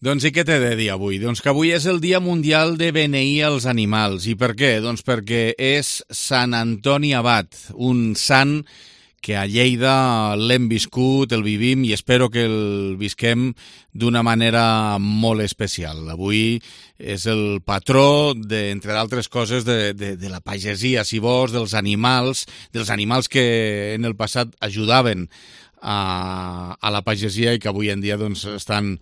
Doncs i què t'he de dir avui? Doncs que avui és el Dia Mundial de beneir els animals. I per què? Doncs perquè és Sant Antoni Abat, un sant que a Lleida l'hem viscut, el vivim i espero que el visquem d'una manera molt especial. Avui és el patró, entre d'altres coses, de la pagesia, si vols, dels animals que en el passat ajudaven a la pagesia i que avui en dia doncs, estan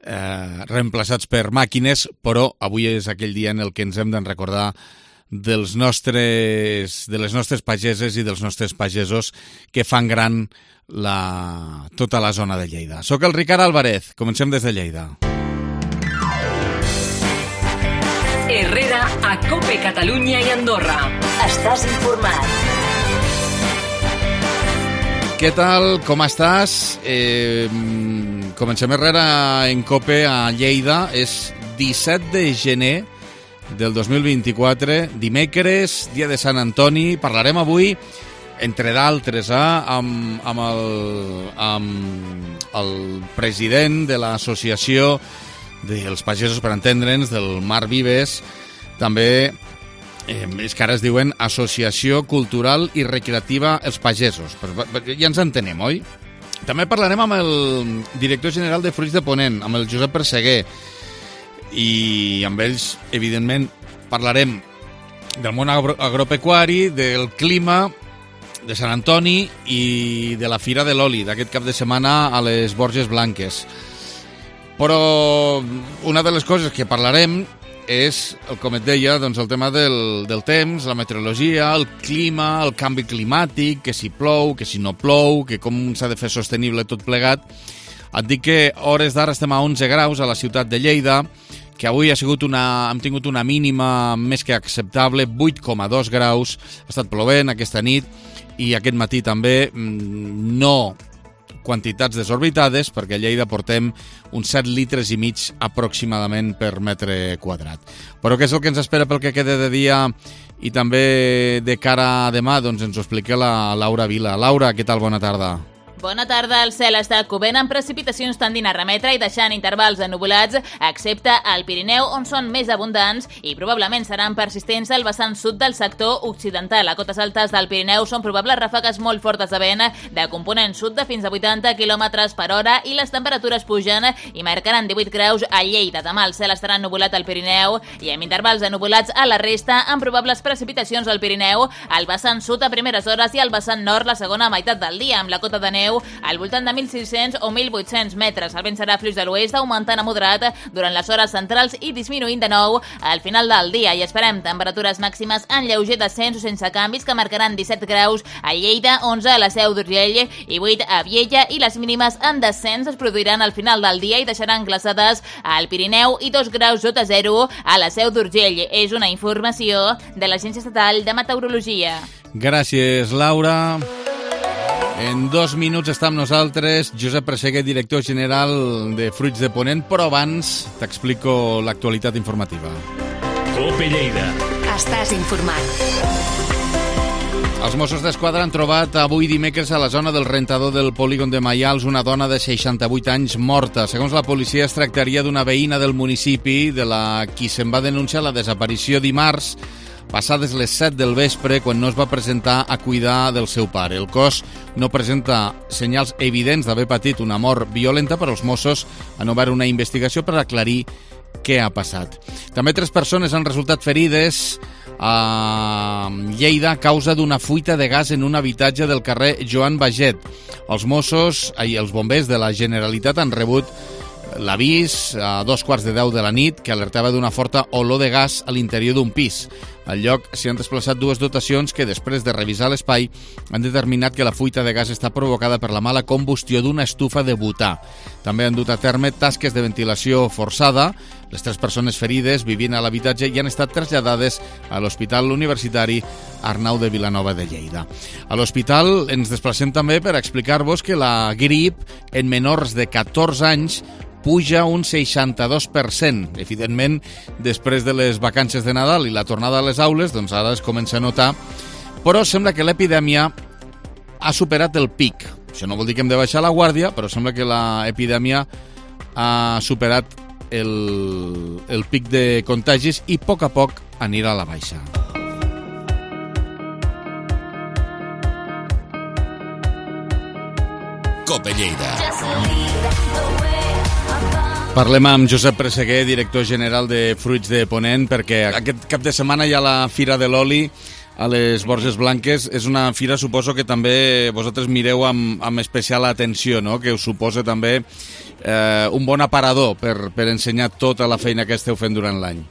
reemplaçats per màquines, però avui és aquell dia en el que ens hem de recordar de les nostres pageses i dels nostres pagesos que fan gran tota la zona de Lleida. Soc el Ricard Álvarez, comencem des de Lleida. Herrera a COPE Catalunya i Andorra. Estàs informat. Què tal? Com estàs? Comencem Herrera en COPE a Lleida. És 17 de gener del 2024, dimecres, dia de Sant Antoni. Parlarem avui, entre d'altres, amb el president de l'associació dels pagesos, per entendre'ns, del Marc Vives, també és que ara es diuen Associació Cultural i Recreativa Els Pagesos. Ja ens entenem, oi? També parlarem amb el director general de Fruits de Ponent, amb el Josep Perseguer, i amb ells, evidentment, parlarem del món agropecuari, del clima, de Sant Antoni i de la Fira de l'Oli d'aquest cap de setmana a les Borges Blanques. Però una de les coses que parlarem és, com et deia, doncs el tema del temps, la meteorologia, el clima, el canvi climàtic, que si plou, que si no plou, que com s'ha de fer sostenible tot plegat. Et dic que a hores d'ara estem a 11 graus a la ciutat de Lleida, que avui hem tingut una mínima més que acceptable, 8,2 graus, ha estat plovent aquesta nit i aquest matí també, no quantitats desorbitades, perquè a Lleida portem uns 7 litres i mig aproximadament per metre quadrat. Però què és el que ens espera pel que queda de dia i també de cara a demà? Doncs ens ho explica la Laura Vila. Laura, què tal? Bona tarda. Bona tarda. El cel està cobent amb precipitacions tendint a remetre i deixant intervals ennuvolats, excepte al Pirineu, on són més abundants i probablement seran persistents al vessant sud del sector occidental. A cotes altes del Pirineu són probables ràfegues molt fortes de vent de component sud de fins a 80 km per hora i les temperatures pugen i marcaran 18 graus a Lleida. Demà el cel estarà ennuvolat al Pirineu i amb intervals ennubulats a la resta, amb probables precipitacions al Pirineu, al vessant sud a primeres hores i al vessant nord la segona meitat del dia, amb la cota de neu al voltant de 1.600 o 1.800 metres. El vent serà fluix de l'oest, augmentant a moderat durant les hores centrals i disminuint de nou al final del dia. I esperem temperatures màximes en lleuger descens o sense canvis que marcaran 17 graus a Lleida, 11 a la Seu d'Urgell i 8 a Viella, i les mínimes en descens es produiran al final del dia i deixaran glaçades al Pirineu i 2 graus sota zero a la Seu d'Urgell. És una informació de l'Agència Estatal de Meteorologia. Gràcies, Laura. En 2 minuts està amb nosaltres Josep Perseguer, director general de Fruits de Ponent, però abans t'explico l'actualitat informativa. COPE Lleida. Estàs informat. Els Mossos d'Esquadra han trobat avui dimecres a la zona del rentador del polígon de Maials una dona de 68 anys morta. Segons la policia, es tractaria d'una veïna del municipi, de la qui se'n va denunciar la desaparició dimarts, passades les 7 del vespre, quan no es va presentar a cuidar del seu pare. El cos no presenta senyals evidents d'haver patit una mort violenta, però els Mossos han obert una investigació per aclarir què ha passat. També 3 persones han resultat ferides a Lleida a causa d'una fuita de gas en un habitatge del carrer Joan Baget. Els bombers de la Generalitat han rebut l'avís a 2:15 de la nit que alertava d'una forta olor de gas a l'interior d'un pis. Al lloc s'hi han desplaçat 2 dotacions que, després de revisar l'espai, han determinat que la fuita de gas està provocada per la mala combustió d'una estufa de butà. També han dut a terme tasques de ventilació forçada. Les 3 persones ferides vivint a l'habitatge i han estat traslladades a l'Hospital Universitari Arnau de Vilanova de Lleida. A l'hospital ens desplacem també per explicar-vos que la grip en menors de 14 anys puja un 62%. Evidentment, després de les vacances de Nadal i la tornada a les aules, doncs ara es comença a notar, però sembla que l'epidèmia ha superat el pic. Això no vol dir que hem de baixar la guàrdia, però sembla que l'epidèmia ha superat el pic de contagis i a poc anirà a la baixa. Cope Lleida. Parlem amb Josep Presseguer, director general de Fruits de Ponent, perquè aquest cap de setmana hi ha la Fira de l'Oli a les Borges Blanques. És una fira, suposo, que també vosaltres mireu amb especial atenció, no? Que us suposa també un bon aparador per ensenyar tota la feina que esteu fent durant l'any.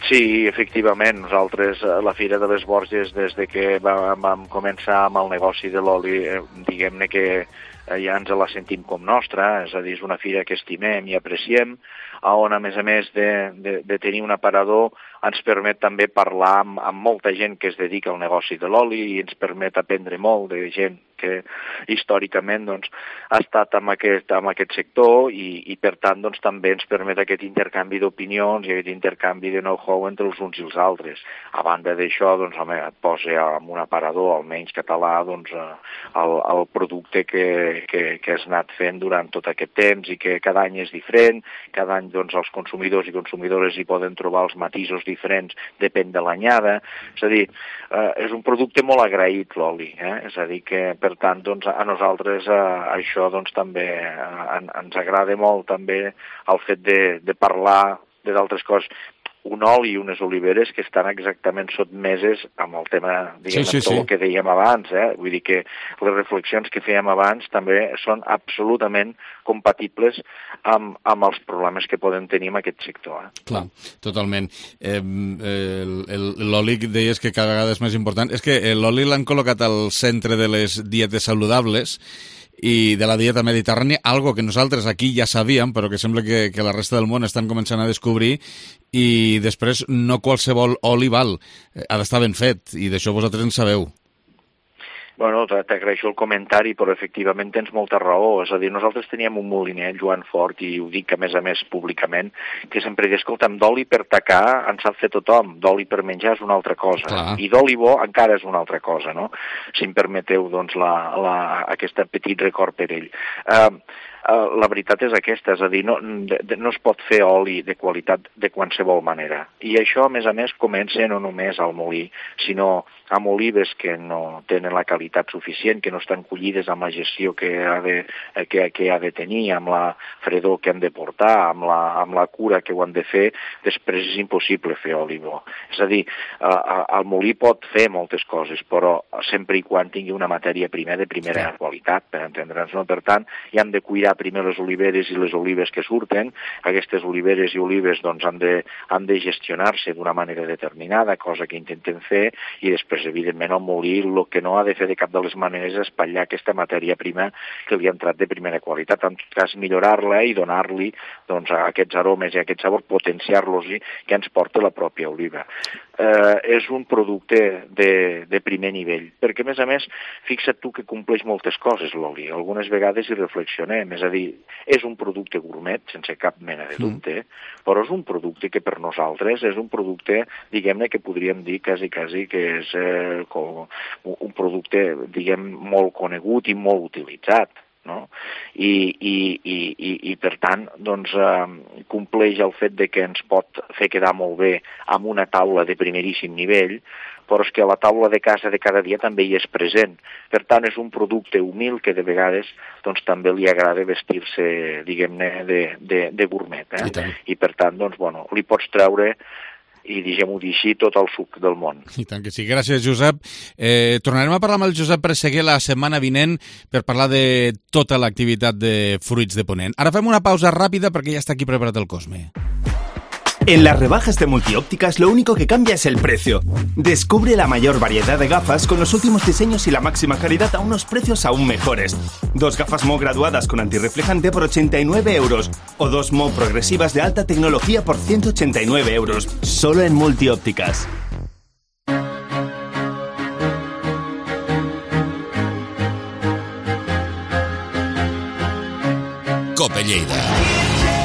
Sí, efectivament, nosaltres a la Fira de les Borges, des de que vam començar amb el negoci de l'oli, diguem-ne que ja ens la sentim com nostra, és a dir, és una fira que estimem i apreciem, on a més de tenir un aparador ens permet també parlar amb molta gent que es dedica al negoci de l'oli i ens permet aprendre molt de gent que històricament doncs, ha estat en aquest sector i per tant doncs, també ens permet aquest intercanvi d'opinions i aquest intercanvi de know-how entre els uns i els altres. A banda d'això, doncs, home, et posa en un aparador, almenys català, doncs, el producte que has anat fent durant tot aquest temps i que cada any és diferent, cada any doncs, els consumidors i consumidores hi poden trobar els matisos diferents, depèn de l'anyada. És a dir, és un producte molt agraït l'oli, és a dir que per tant, doncs, a nosaltres això doncs, també ens agrada molt també el fet de parlar d'altres coses. Un oli i unes oliveres que estan exactament sotmeses amb el tema, diguem, tot el que dèiem abans. Vull dir que les reflexions que fèiem abans també són absolutament compatibles amb els problemes que podem tenir en aquest sector. Clar, totalment. L'oli deies que cada vegada és més important. És que l'oli l'han col·locat al centre de les dietes saludables i de la dieta mediterrània, algo que nosaltres aquí ja sabíem, però que sembla que la resta del món estan començant a descobrir, i després no qualsevol oli val, ha d'estar ben fet, i d'això vosaltres en sabeu. Bueno, t'agraeixo el comentari, però efectivament tens molta raó. És a dir, nosaltres teníem un moliner, Joan Fort, i ho dic a més públicament, que sempre deia, escolta'm, d'oli per tacar en sap fer tothom, d'oli per menjar és una altra cosa. Clar. I d'oli bo encara és una altra cosa, no? Si em permeteu, doncs, aquest petit record per ell. La veritat és aquesta, és a dir, no es pot fer oli de qualitat de qualsevol manera. I això, a més, comença no només al molí, sinó amb olives que no tenen la qualitat suficient, que no estan collides amb la gestió que ha de tenir, amb la fredor que han de portar, amb la cura que ho han de fer, després és impossible fer oli bo. És a dir, el molí pot fer moltes coses, però sempre i quan tingui una matèria prima de primera qualitat, per entendre'ns, no? Per tant, hi hem de cuidar primer les oliveres i les olives que surten. Aquestes oliveres i olives doncs, han de gestionar-se d'una manera determinada, cosa que intentem fer, i després, evidentment, el molí el que no ha de fer de cap de les maneres és espatllar aquesta matèria prima que li ha entrat de primera qualitat. En tot cas, millorar-la i donar-li doncs, aquests aromes i aquest sabor, potenciar-los que ens porta la pròpia oliva. És un producte de primer nivell, perquè, a més, fixa't tu que compleix moltes coses l'oli. Algunes vegades hi reflexionem, és a dir, és un producte gourmet, sense cap mena de dubte, però és un producte que per nosaltres és un producte, diguem-ne, que podríem dir quasi que és un producte, diguem, molt conegut i molt utilitzat. No? I per tant doncs, compleix el fet de que ens pot fer quedar molt bé amb una taula de primeríssim nivell, però és que a la taula de casa de cada dia també hi és present. Per tant, és un producte humil que de vegades doncs, també li agrada vestir-se, diguem-ne, de gourmet. I per tant, doncs, bueno, li pots treure i, diguem-ho dir així, tot el suc del món. I tant que sí. Gràcies, Josep. Tornarem a parlar amb el Josep Presseguer la setmana vinent per parlar de tota l'activitat de Fruits de Ponent. Ara fem una pausa ràpida perquè ja està aquí preparat el Cosme. En las rebajas de Multiópticas lo único que cambia es el precio. Descubre la mayor variedad de gafas con los últimos diseños y la máxima calidad a unos precios aún mejores. 2 gafas Mo graduadas con antirreflejante por 89 euros o 2 Mo progresivas de alta tecnología por 189 euros. Solo en Multiópticas. Cope Lleida.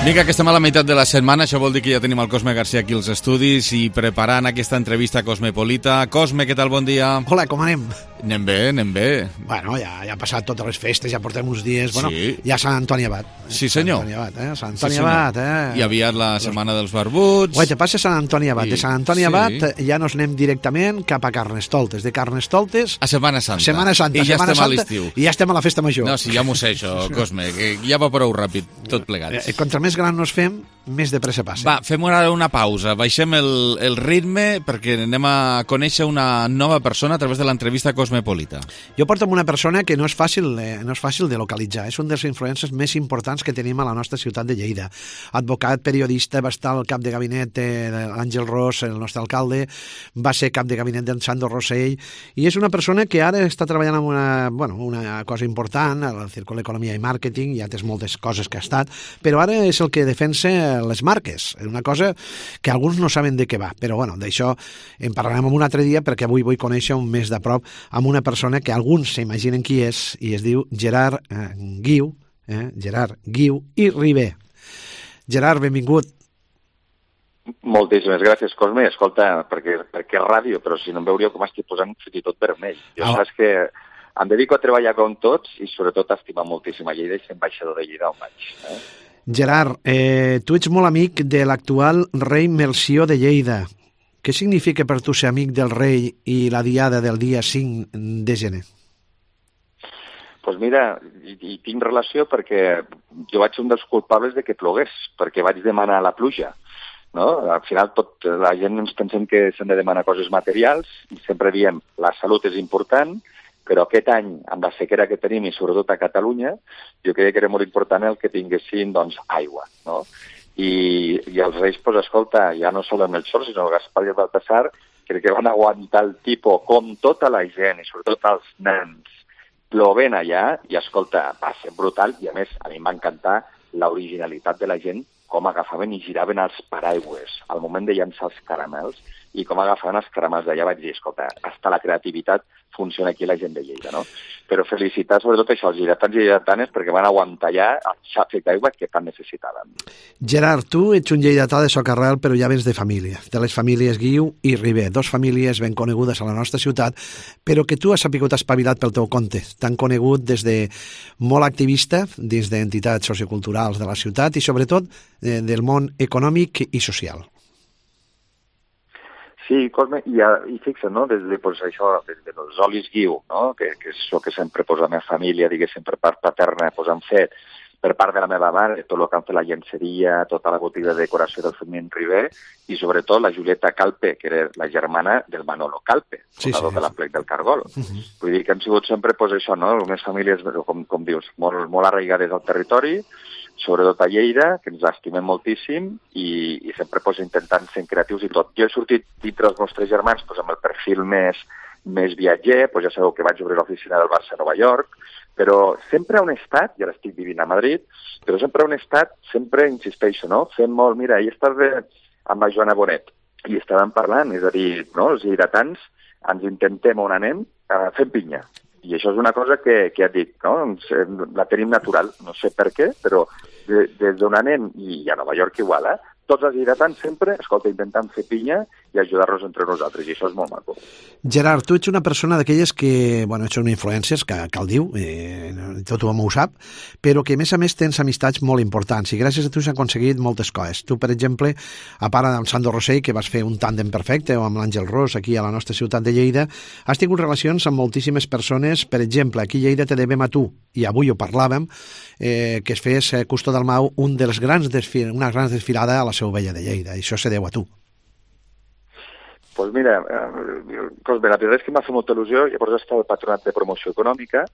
Vinga, que estem a la meitat de la setmana, això vol dir que ja tenim el Cosme García aquí als estudis i preparant aquesta entrevista cosmopolita. Cosme, què tal? Bon dia. Hola, com anem? Anem bé, anem bé. Bueno, ja han passat totes les festes, ja portem uns dies. Bueno, Sí. ja Sant Antoni Abat. Sí, senyor. Sant Antoni Abat, Sant Sí, Antoni senyor. Abat, I aviat la setmana dels barbuts. Guai, te passa Sant Antoni Abat. I- De Sant Antoni sí. Abat ja nos anem directament cap a Carnestoltes. De Carnestoltes A Setmana Santa. Setmana Santa. I ja Setmana estem a Santa, l'estiu. I ja estem a la festa major. No, sí, ja m'ho sé, això, Cosme, que ja va prou ràpid, tot plegat. Contra més gran nos fem, més de pressa passa. Va, fem ara una pausa, baixem el ritme perquè anem a conèixer una nova persona a través de l'entrevista cosmopolita. Jo porto amb una persona que no és fàcil de localitzar. És un dels influencers més importants que tenim a la nostra ciutat de Lleida. Advocat, periodista, va estar al cap de gabinet de l'Àngel Ros, el nostre alcalde, va ser cap de gabinet d'en Sandro Rossell, i és una persona que ara està treballant en una cosa important, al Círculo d'Economia i Màrqueting, ja té moltes coses que ha estat, però ara és el que defensa les marques. És una cosa que alguns no saben de què va, però bueno, d'això en parlarem un altre dia perquè avui vull conèixer un més de prop amb una persona que alguns s'imaginen qui és i es diu Gerard Guiu, Gerard Guiu i Ribé. Gerard, benvingut. Moltíssimes gràcies, Cosme. Escolta, perquè és ràdio, però si no em veuríeu com estic posant fins i tot vermell. Jo saps que em dedico a treballar com tots i sobretot a estimar moltíssim a Lleida i ser ambaixador de Lleida on vaig. Gerard, tu ets molt amic de l'actual rei Melcior de Lleida. Què significa per tu ser amic del rei i la diada del dia 5 de gener? Doncs mira, hi tinc relació perquè jo vaig ser un dels culpables de que plogués, perquè vaig demanar la pluja. No? Al final la gent ens pensem que s'han de demanar coses materials i sempre diem la salut és important, però aquest any, amb la sequera que tenim i sobretot a Catalunya, jo creia que era molt important el que tinguessin aigua. No? I els reis, escolta, ja no sol el Melchor, sinó el Gaspar i el Baltasar, crec que van aguantar el tipus com tota la gent i sobretot els nens plovent allà i, escolta, va ser brutal i, a més, a mi em va encantar l'originalitat de la gent, com agafaven i giraven els paraigües al moment de llançar els caramels i com agafaven els caramels d'allà. Vaig dir, escolta, hasta la creativitat funciona aquí la gent de Lleida, no? Però felicitar sobretot això, els lleidatans i lleidatanes perquè van aguantar allà el xàfec d'aigua que tant necessitaven. Gerard, tu ets un lleidatà de socarrel, però ja vens de família, de les famílies Guiu i Ribé, dos famílies ben conegudes a la nostra ciutat, però que tu has sapigut espavilat pel teu compte. T'han conegut des de molt activista dins d'entitats socioculturals de la ciutat i sobretot del món econòmic i social. Sí, Cosme, i fixa't, no? Des dels olis Guiu, no? que és el que sempre la meva família, diguéssim, per part paterna, han fet, per part de la meva mare, tot el que han fet la llenceria, tota la botiga de decoració del Fermín Ribé, i sobretot la Julieta Calpe, que era la germana del Manolo Calpe, fundador de la Plec del Cargol. Vull dir que han sigut sempre això, no? Unes famílies, com dius, molt arraigades al territori, sobretot a Lleida, que ens estimem moltíssim i sempre intentant ser creatius i tot. Jo he sortit dintre dels nostres germans amb el perfil més viatger, ja sabeu que vaig obrir l'oficina del Barça a Nova York, però sempre on he estat, i ara estic vivint a Madrid, però sempre on he estat, sempre insisteixo, no? Fem molt, mira, ahir estàs amb la Joana Bonet, i estàvem parlant, és a dir, no? Els lleidatans ens intentem on anem, fem pinya. I això és una cosa que et dic, no? La tenim natural, no sé per què, però des d'on anem, i a Nova York igual, tots els lleidatans sempre, escolta, intentant fer pinya i ajudar-nos entre nosaltres, i això és molt maco. Gerard, tu ets una persona d'aquelles que, ets una influència, que el diu, tothom ho sap, però que a més tens amistats molt importants i gràcies a tu s'han aconseguit moltes coses. Tu, per exemple, a part amb Sandro Rossell, que vas fer un tàndem perfecte, o amb l'Àngel Ros, aquí a la nostra ciutat de Lleida, has tingut relacions amb moltíssimes persones. Per exemple, aquí a Lleida te devem a tu, i avui ho parlàvem, que es fes Custó Dalmau una gran desfilada a la Seu Vella de Lleida, i això se deu a tu. Doncs mira, Cosme, la veritat és que m'ha fet molta il·lusió. Llavors he estat al Patronat de Promoció Econòmica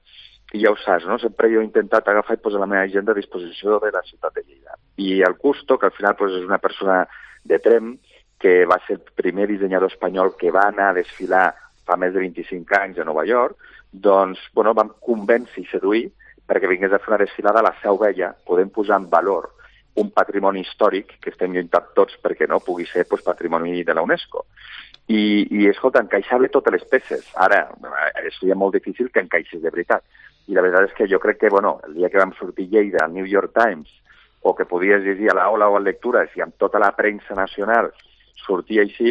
i ja ho saps, no? Sempre jo he intentat agafar i posar la meva agenda a disposició de la ciutat de Lleida. I el Custo, que al final és una persona de Trem, que va ser el primer dissenyador espanyol que va anar a desfilar fa més de 25 anys a Nova York, doncs, vam convèncer i seduir perquè vingués a fer una desfilada a la Seu Vella, podem posar en valor un patrimoni històric que estem lluitant tots perquè no pugui ser patrimoni de la UNESCO. I escolta, encaixava totes les peces. Ara, seria molt difícil que encaixés de veritat. I la veritat és que jo crec que, el dia que vam sortir Lleida al New York Times o que podies llegir a l'aula o a lectures i amb tota la premsa nacional sortia així,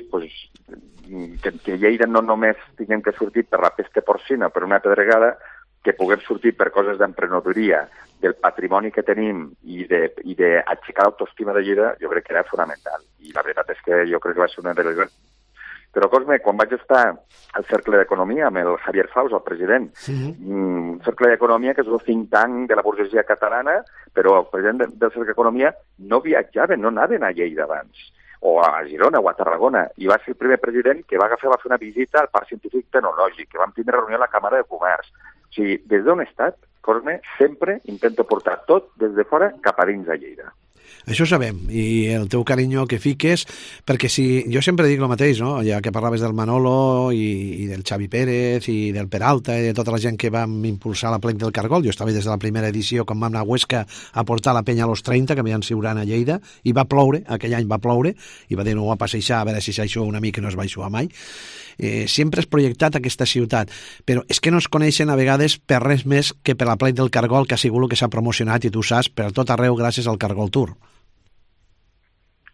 que Lleida no només tinguem que sortir per la peste porcina, per una pedregada, que puguem sortir per coses d'emprenedoria, del patrimoni que tenim i d'aixecar l'autoestima de Lleida, jo crec que era fonamental. I la veritat és que jo crec que va ser una de les... Però, Cosme, quan vaig estar al Cercle d'Economia amb el Javier Faus, el president, un Cercle d'Economia que és el think tank de la burgesia catalana, però el president del Cercle d'Economia no viatjaven, no anaven a Lleida abans, o a Girona o a Tarragona, i va ser el primer president que va fer una visita al Parc Científic Tecnològic, que vam tindre reunió a la Càmera de Comerç. O sigui, des d'on he estat, Cosme, sempre intento portar tot des de fora cap a dins a Lleida. Això ho sabem, i el teu carinyo que fiques, perquè si jo sempre dic el mateix, no? Ja que parlaves del Manolo i del Xavi Pérez i del Peralta i de tota la gent que vam impulsar la plec del Cargol, jo estava des de la primera edició quan vam anar a Huesca a portar la penya a los 30, que havien siuran a Lleida, i va ploure, aquell any va ploure, i va dir no va passeixar, a veure si s'aixua una mica, no es va aixuar mai. Sempre has projectat aquesta ciutat, però és que no es coneixen a vegades per res més que per la plec del Cargol, que ha sigut el que s'ha promocionat, i tu saps, per tot arreu gràcies al Cargol Tour.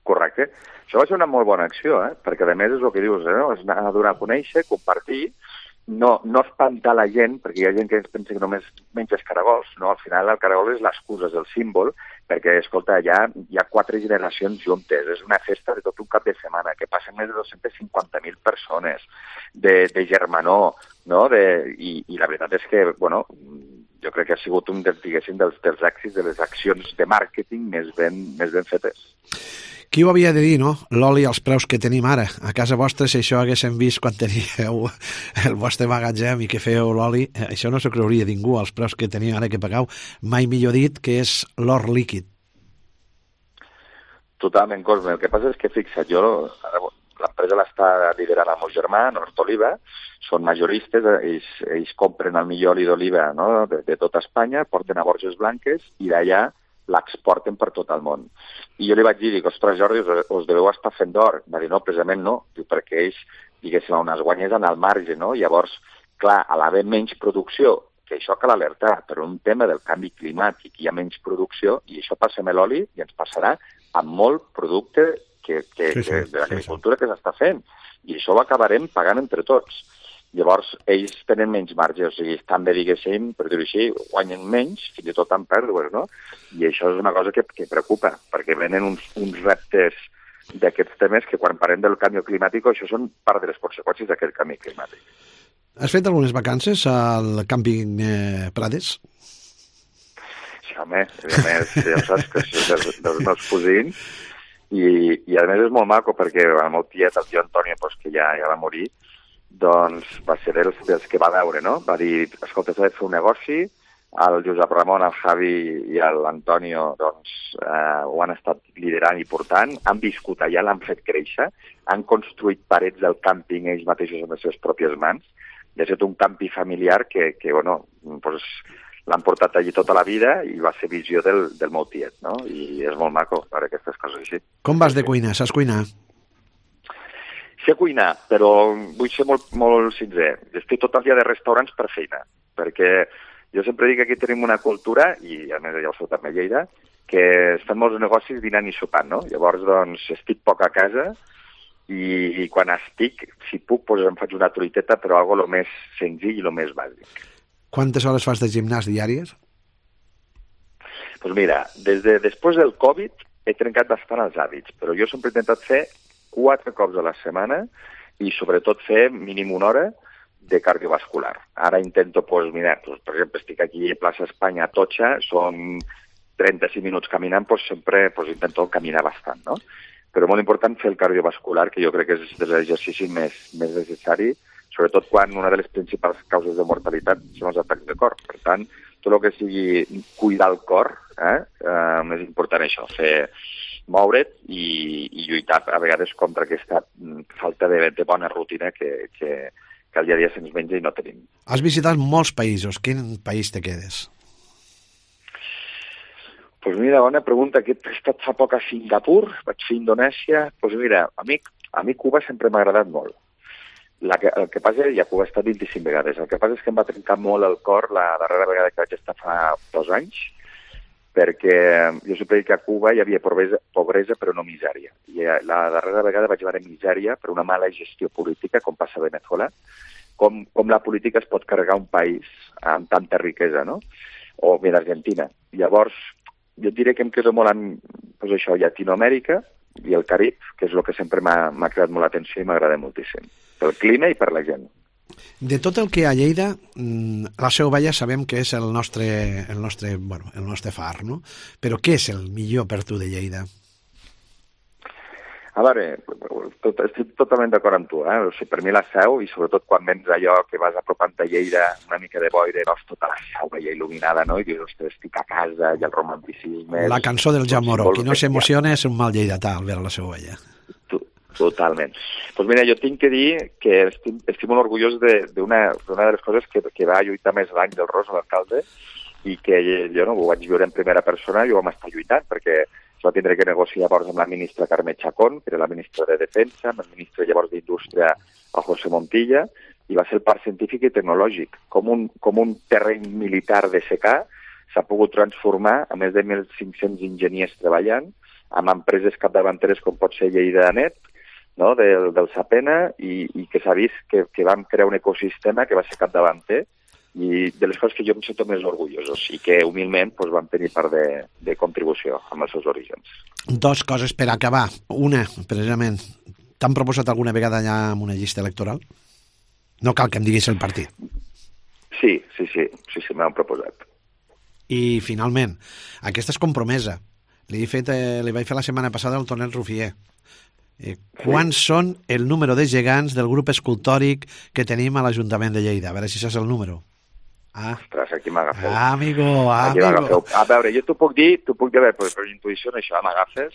Correcte. Això va ser una molt bona acció, perquè a més és el que dius, no? És anar a donar a conèixer, compartir, no espantar la gent, perquè hi ha gent que pensa que només menges caragols, no? Al final el caragol és l'excusa, és el símbol, perquè, escolta, hi ha 4 generacions juntes, és una festa de tot un cap de setmana, que passen més de 250.000 persones, de germanor, no? I la veritat és que, bueno, jo crec que ha sigut un dels èxits de les accions de màrqueting més ben fetes. Qui ho havia de dir, no? L'oli als preus que tenim ara. A casa vostra, si això haguéssim vist quan teníeu el vostre magatzem i que fèieu l'oli, això no s'ho creuria ningú, als preus que teniu ara que pagueu. Mai millor dit que és l'or líquid. Totalment, Cosme. El que passa és que, fixa't, l'empresa l'està liderant el meu germà, Nord Oliva, són majoristes, ells compren el millor oli d'oliva, no? de tota Espanya, porten a Borges Blanques i d'allà l'exporten per tot el món. I jo li vaig dir, ostres, Jordi, us deveu estar fent d'or. Va dir, no, precisament no, perquè ells, diguéssim, on es guanyés en el marge, no? Llavors, clar, a l'haver menys producció, que això cal alertar, per un tema del canvi climàtic hi ha menys producció, i això passa amb l'oli i ens passarà amb molt producte de l'agricultura que s'està fent. I això ho acabarem pagant entre tots. Llavors, ells tenen menys marge, o sigui, estan bé, diguéssim, per dir-ho així, guanyen menys, fins i tot amb pèrdues, no? I això és una cosa que preocupa, perquè venen uns reptes d'aquests temes que quan parlem del canvi climàtic, això són part de les conseqüències d'aquest canvi climàtic. Has fet algunes vacances al càmping Prades? Sí, home, a més, ja saps que és dels meus cosins, i a més és molt maco, perquè el meu tiet, el tio Antonio, que ja va morir, doncs va ser dels que va veure, no? Va dir, escolta, s'ha de fer un negoci, el Josep Ramon, el Javi i l'Antonio doncs, ho han estat liderant i portant, han viscut allà, l'han fet créixer, han construït parets del càmping ells mateixos amb les seves pròpies mans, i ha estat un campi familiar que bueno, doncs, l'han portat allí tota la vida i va ser visió del meu tiet, no? I és molt maco per aquestes coses així. Com vas de cuina? Saps cuinar? Sé cuinar, però vull ser molt sincer. Estic tot el dia de restaurants per feina, perquè jo sempre dic que aquí tenim una cultura, i a més ja ho sou també a Lleida, que es fan molts negocis dinant i sopant, no? Llavors, doncs, estic poc a casa i quan estic, si puc, doncs em faig una truiteta, però algo lo més senzill i lo més bàsic. Quantes hores fas de gimnàs diàries? Doncs mira, després del Covid he trencat bastant els hàbits, però jo sempre he intentat fer 4 cops a la setmana i sobretot fer mínim 1 hora de cardiovascular. Ara intento, per exemple, estic aquí a Plaça Espanya a Totxa, són 35 minuts caminant, sempre intento caminar bastant, no? Però molt important fer el cardiovascular, que jo crec que és l'exercici més necessari, sobretot quan una de les principals causes de mortalitat són els atacs de cor. Per tant, tot el que sigui cuidar el cor, és important això, moure't i lluitar a vegades contra aquesta falta de bona rutina que al dia a dia se'ns menja i no tenim. Has visitat molts països. Quin país te quedes? Doncs mira, bona pregunta. He estat fa poc a Singapur, vaig fer Indonèsia. Doncs mira, a mi Cuba sempre m'ha agradat molt. El que passa és que a Cuba he estat 25 vegades. El que passa és que em va trencar molt el cor la darrera vegada que vaig estar fa 2 anys, perquè jo sempre dic que a Cuba hi havia pobresa però no misèria. I la darrera vegada vaig veure misèria per una mala gestió política, com passa a Venezuela, com la política es pot carregar un país amb tanta riquesa, no? O bé d'Argentina. Llavors, jo diré que em quedo molt amb pues això, Llatinoamèrica i el Carib, que és el que sempre m'ha cridat molt l'atenció i m'agrada moltíssim. Pel clima i per la gent. De tot el que hi ha a Lleida, la Seu Vella sabem que és el nostre far, no? Però què és el millor per tu de Lleida? A veure, estic totalment d'acord amb tu, O sigui, per mi la Seu, i sobretot quan vens allò que vas apropant a Lleida, una mica de boira, veus tota la Seu veia il·luminada, no? I dius, ostres, estic a casa, i el romanticisme... La cançó del Jan Moró, qui no s'emociona és un mal lleidatà al veure la Seu Vella. Totalment. Doncs mira, jo tinc que dir que estic molt orgullós d'una de les coses que va lluitar més l'any del Ros, l'alcalde, i que jo no ho vaig viure en primera persona i ho vam estar lluitant, perquè es va tindre que negociar llavors amb la ministra Carme Chacón, que era la ministra de Defensa, amb el ministre llavors d'Indústria, el José Montilla, i va ser el parc científic i tecnològic. Com un terreny militar de secà s'ha pogut transformar a més de 1.500 enginyers treballant, amb empreses capdavanteres com pot ser Lleida-Net, no? del Sapena, i que s'ha vist que vam crear un ecosistema que va ser capdavanter, i de les coses que jo em sento més orgullosos i que humilment doncs, vam tenir part de contribució amb els seus orígens. Dos coses per acabar. Una, precisament, t'han proposat alguna vegada ja amb una llista electoral? No cal que em diguis el partit. Sí, m'han proposat. I finalment, aquesta és compromesa. Li vaig fer la setmana passada al Tonet Rufier. Quants són el número de gegants del grup escultòric que tenim a l'Ajuntament de Lleida? A veure si saps el número. Ostres, aquí m'agafeu. Amigo. A veure, jo t'ho puc dir, per intuïció això m'agafes,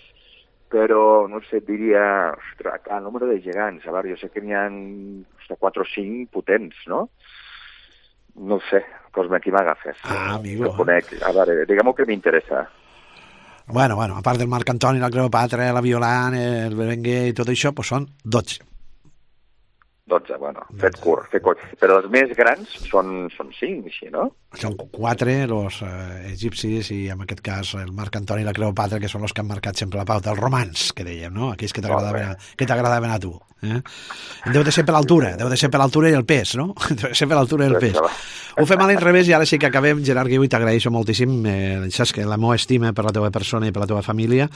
però no sé, diria, ostres, el número de gegants, a veure, jo sé que n'hi ha 4 o 5 potents, no? No sé, Cosme, aquí m'agafes. Amigo. A veure, diguem-ho que m'interessa. Bueno, a part del Marc Antoni, la Cleopatra, la Violant, el Berenguer i tot això, doncs són 12. 12, bueno, fet curt. Però els més grans són 5, així, no? Són 4, els egipcis, i en aquest cas el Marc Antoni i la Cleopatra, que són els que han marcat sempre la pauta, els romans, que dèiem, no? Aquells que t'agradaven a tu. Deu de ser per l'altura, i el pes, no? Deu de ser per l'altura i el pes. Ho fem a l'inrevés i ara sí que acabem. Gerard Guiu, t'agraeixo moltíssim, saps que la meva estima per la teva persona i per la teva família,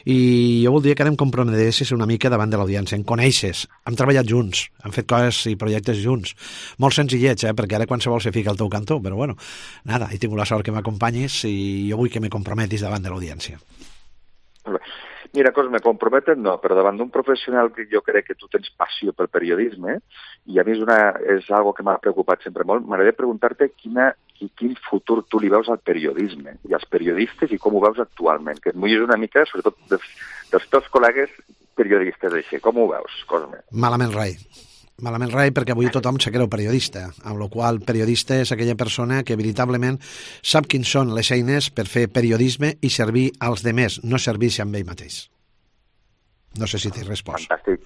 i jo voldria que ara em comprometessis una mica davant de l'audiència. Em coneixes, hem treballat junts, hem fet coses i projectes junts, molt senzillets, perquè ara qualsevol se fica al teu cantó, però bueno, nada, he tingut la sort que m'acompanyis i jo vull que me comprometis davant de l'audiència. Mira, Cosme, comprometet no, però davant d'un professional que jo crec que tu tens passió pel periodisme, i a mi és algo que m'ha preocupat sempre molt, m'agradaria preguntar-te quin futur tu li veus al periodisme i als periodistes i com ho veus actualment, que et mullis una mica, sobretot dels teus col·legues periodistes així. Com ho veus, Cosme? Malament rai, perquè avui tothom se creu periodista, amb la qual periodista és aquella persona que veritablement sap quins són les eines per fer periodisme i servir als demés, no servir-se amb ell mateix. No sé si t'he respost. Fantàstic.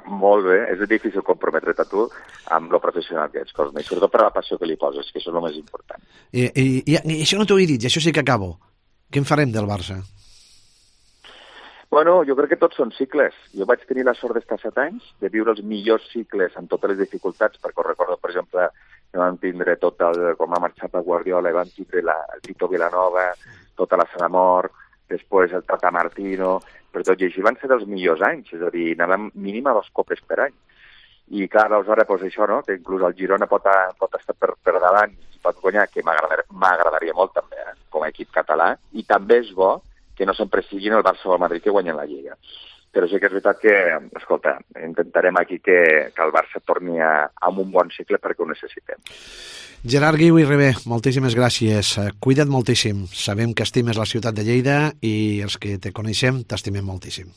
Molt bé, és difícil comprometre't a tu amb lo professional que ets, Cosme, i sobretot per la passió que li poses, que això és el més important. I això no t'ho he dit, i això sí que acabo. Què en farem del Barça? Bueno, jo crec que tots són cicles. Jo vaig tenir la sort d'estar 7 anys, de viure els millors cicles amb totes les dificultats, perquè recordo, per exemple, que vam tindre com ha marxat el Guardiola, i vam tindre el Tito Vilanova, tota la Sala Mort, després el Tata Martino, per tot i així van ser dels millors anys, és a dir, anàvem mínim a 2 copes per any. I clar, aleshores, doncs això, no?, que inclús el Girona pot estar per davant i pot guanyar, que m'agradaria molt també, com a equip català, i també és bo que no sempre siguin el Barça o el Madrid que guanyen la Lliga. Però sí que és veritat que, escolta, intentarem aquí que el Barça torni a un bon cicle perquè ho necessitem. Gerard Guiu i Ribé, moltíssimes gràcies. Cuida't moltíssim. Sabem que estimes la ciutat de Lleida i els que te coneixem t'estimem moltíssim.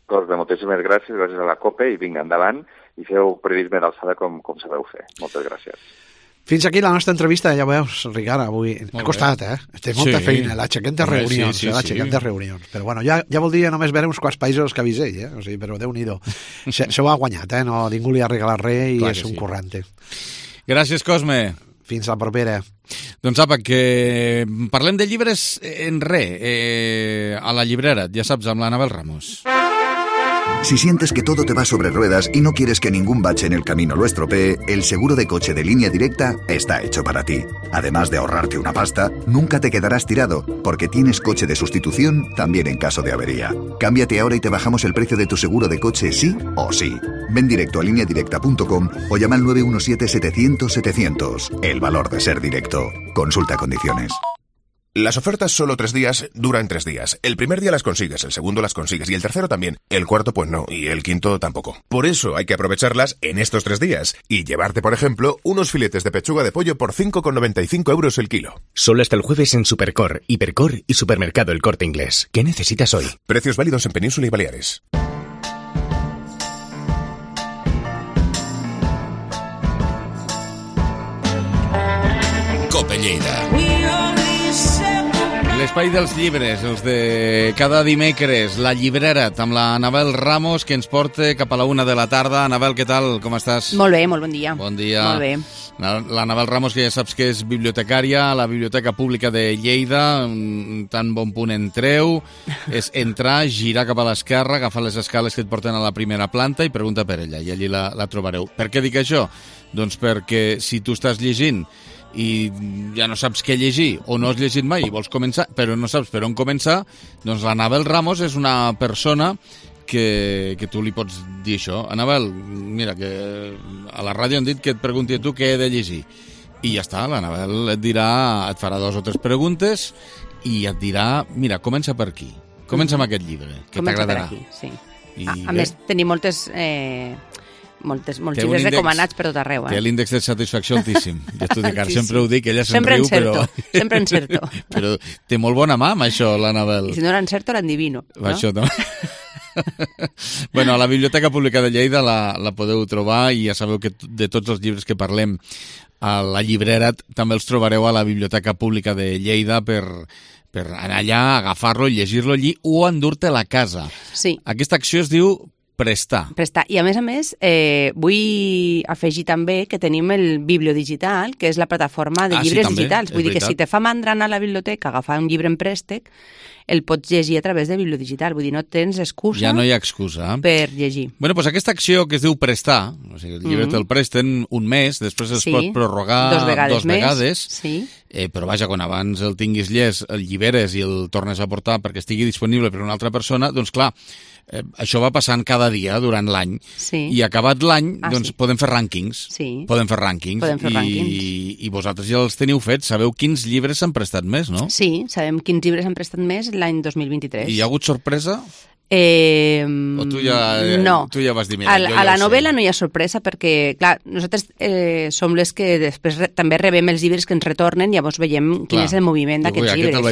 Doncs moltíssimes gràcies a la COPE i vinga, endavant i feu periodisme d'alçada com sabeu fer. Moltes gràcies. Fins aquí la nostra entrevista, ja veus, Ricard, avui ha costat, Té molta feina, l'aixequem de reunions, però bueno, ja voldria només veure uns quants països que avisei, o sigui, però Déu-n'hi-do. Se ho ha guanyat, no, ningú li ha regalat res i és un currante. Gràcies, Cosme. Fins la propera. Doncs apa, que parlem de llibres en a la llibrera, ja saps, amb l'Anabel Ramos. Si sientes que todo te va sobre ruedas y no quieres que ningún bache en el camino lo estropee, el seguro de coche de Línea Directa está hecho para ti. Además de ahorrarte una pasta, nunca te quedarás tirado, porque tienes coche de sustitución también en caso de avería. Cámbiate ahora y te bajamos el precio de tu seguro de coche sí o sí. Ven directo a lineadirecta.com o llama al 917-700-700. El valor de ser directo. Consulta condiciones. Las ofertas solo 3 días duran 3 días. El primer día las consigues, el segundo las consigues y el tercero también. El cuarto pues no, y el quinto tampoco. Por eso hay que aprovecharlas en estos 3 días y llevarte, por ejemplo, unos filetes de pechuga de pollo por 5,95 € el kilo. Solo hasta el jueves en Supercor, Hipercor y Supermercado El Corte Inglés. ¿Qué necesitas hoy? Precios válidos en Península y Baleares. Cope Lleida. L'espai dels llibres, els de cada dimecres, la llibrera, amb la Anabel Ramos, que ens porta cap a la 1 de la tarda. Anabel, què tal? Com estàs? Molt bé, molt bon dia. Bon dia. Molt bé. L'Anabel Ramos, que ja saps que és bibliotecària a la Biblioteca Pública de Lleida, tan bon punt entreu, és entrar, girar cap a l'esquerra, agafar les escales que et porten a la primera planta i pregunta per ella, i allí la trobareu. Per què dic això? Doncs perquè si tu estàs llegint i ja no saps què llegir o no has llegit mai i vols començar, però no saps per on començar, doncs l'Anabel Ramos és una persona que tu li pots dir això. Anabel, mira, que a la ràdio han dit que et pregunti a tu què he de llegir. I ja està, l'Anabel et farà 2 o 3 preguntes i et dirà, mira, comença per aquí. Comença amb aquest llibre, que t'agradarà. Comença per aquí, sí. A més, tenim molts llibres recomanats per tot arreu. Té l'índex de satisfacció altíssim. Ja t'ho dic, sempre ho dic, ella se'n riu, però... Sempre encerto. Però té molt bona mà amb això, l'Anabel. I si no l'encerto, l'endivino. Això també. Bueno, a la Biblioteca Pública de Lleida la podeu trobar i ja sabeu que de tots els llibres que parlem a la llibrera també els trobareu a la Biblioteca Pública de Lleida per anar allà, agafar-lo, llegir-lo allí o endur-te a la casa. Sí. Aquesta acció es diu prestar. I a més, vull afegir també que tenim el Bibliodigital, que és la plataforma de llibres digitals. Vull dir que si te fa mandra anar a la biblioteca, agafar un llibre en préstec, el pots llegir a través de Bibliodigital. Vull dir, no tens excusa... Ja no hi ha excusa. Per llegir. Bueno, doncs aquesta acció que es diu prestar, o sigui, el llibre te'l presten un mes, després es pot prorrogar 2 vegades, però vaja, quan abans el tinguis llest, el lliberes i el tornes a portar perquè estigui disponible per una altra persona, doncs clar, això va passant cada dia durant l'any i acabat l'any doncs podem fer rànquings i vosaltres ja els teniu fets, sabeu quins llibres s'han prestat més, no? Sí, sabem quins llibres s'han prestat més l'any 2023. I hi ha hagut sorpresa? O tu ja vas dir, mira, a la novel·la no hi ha sorpresa perquè, clar, nosaltres som les que després també rebem els llibres que ens retornen i llavors veiem quin és el moviment d'aquests llibres.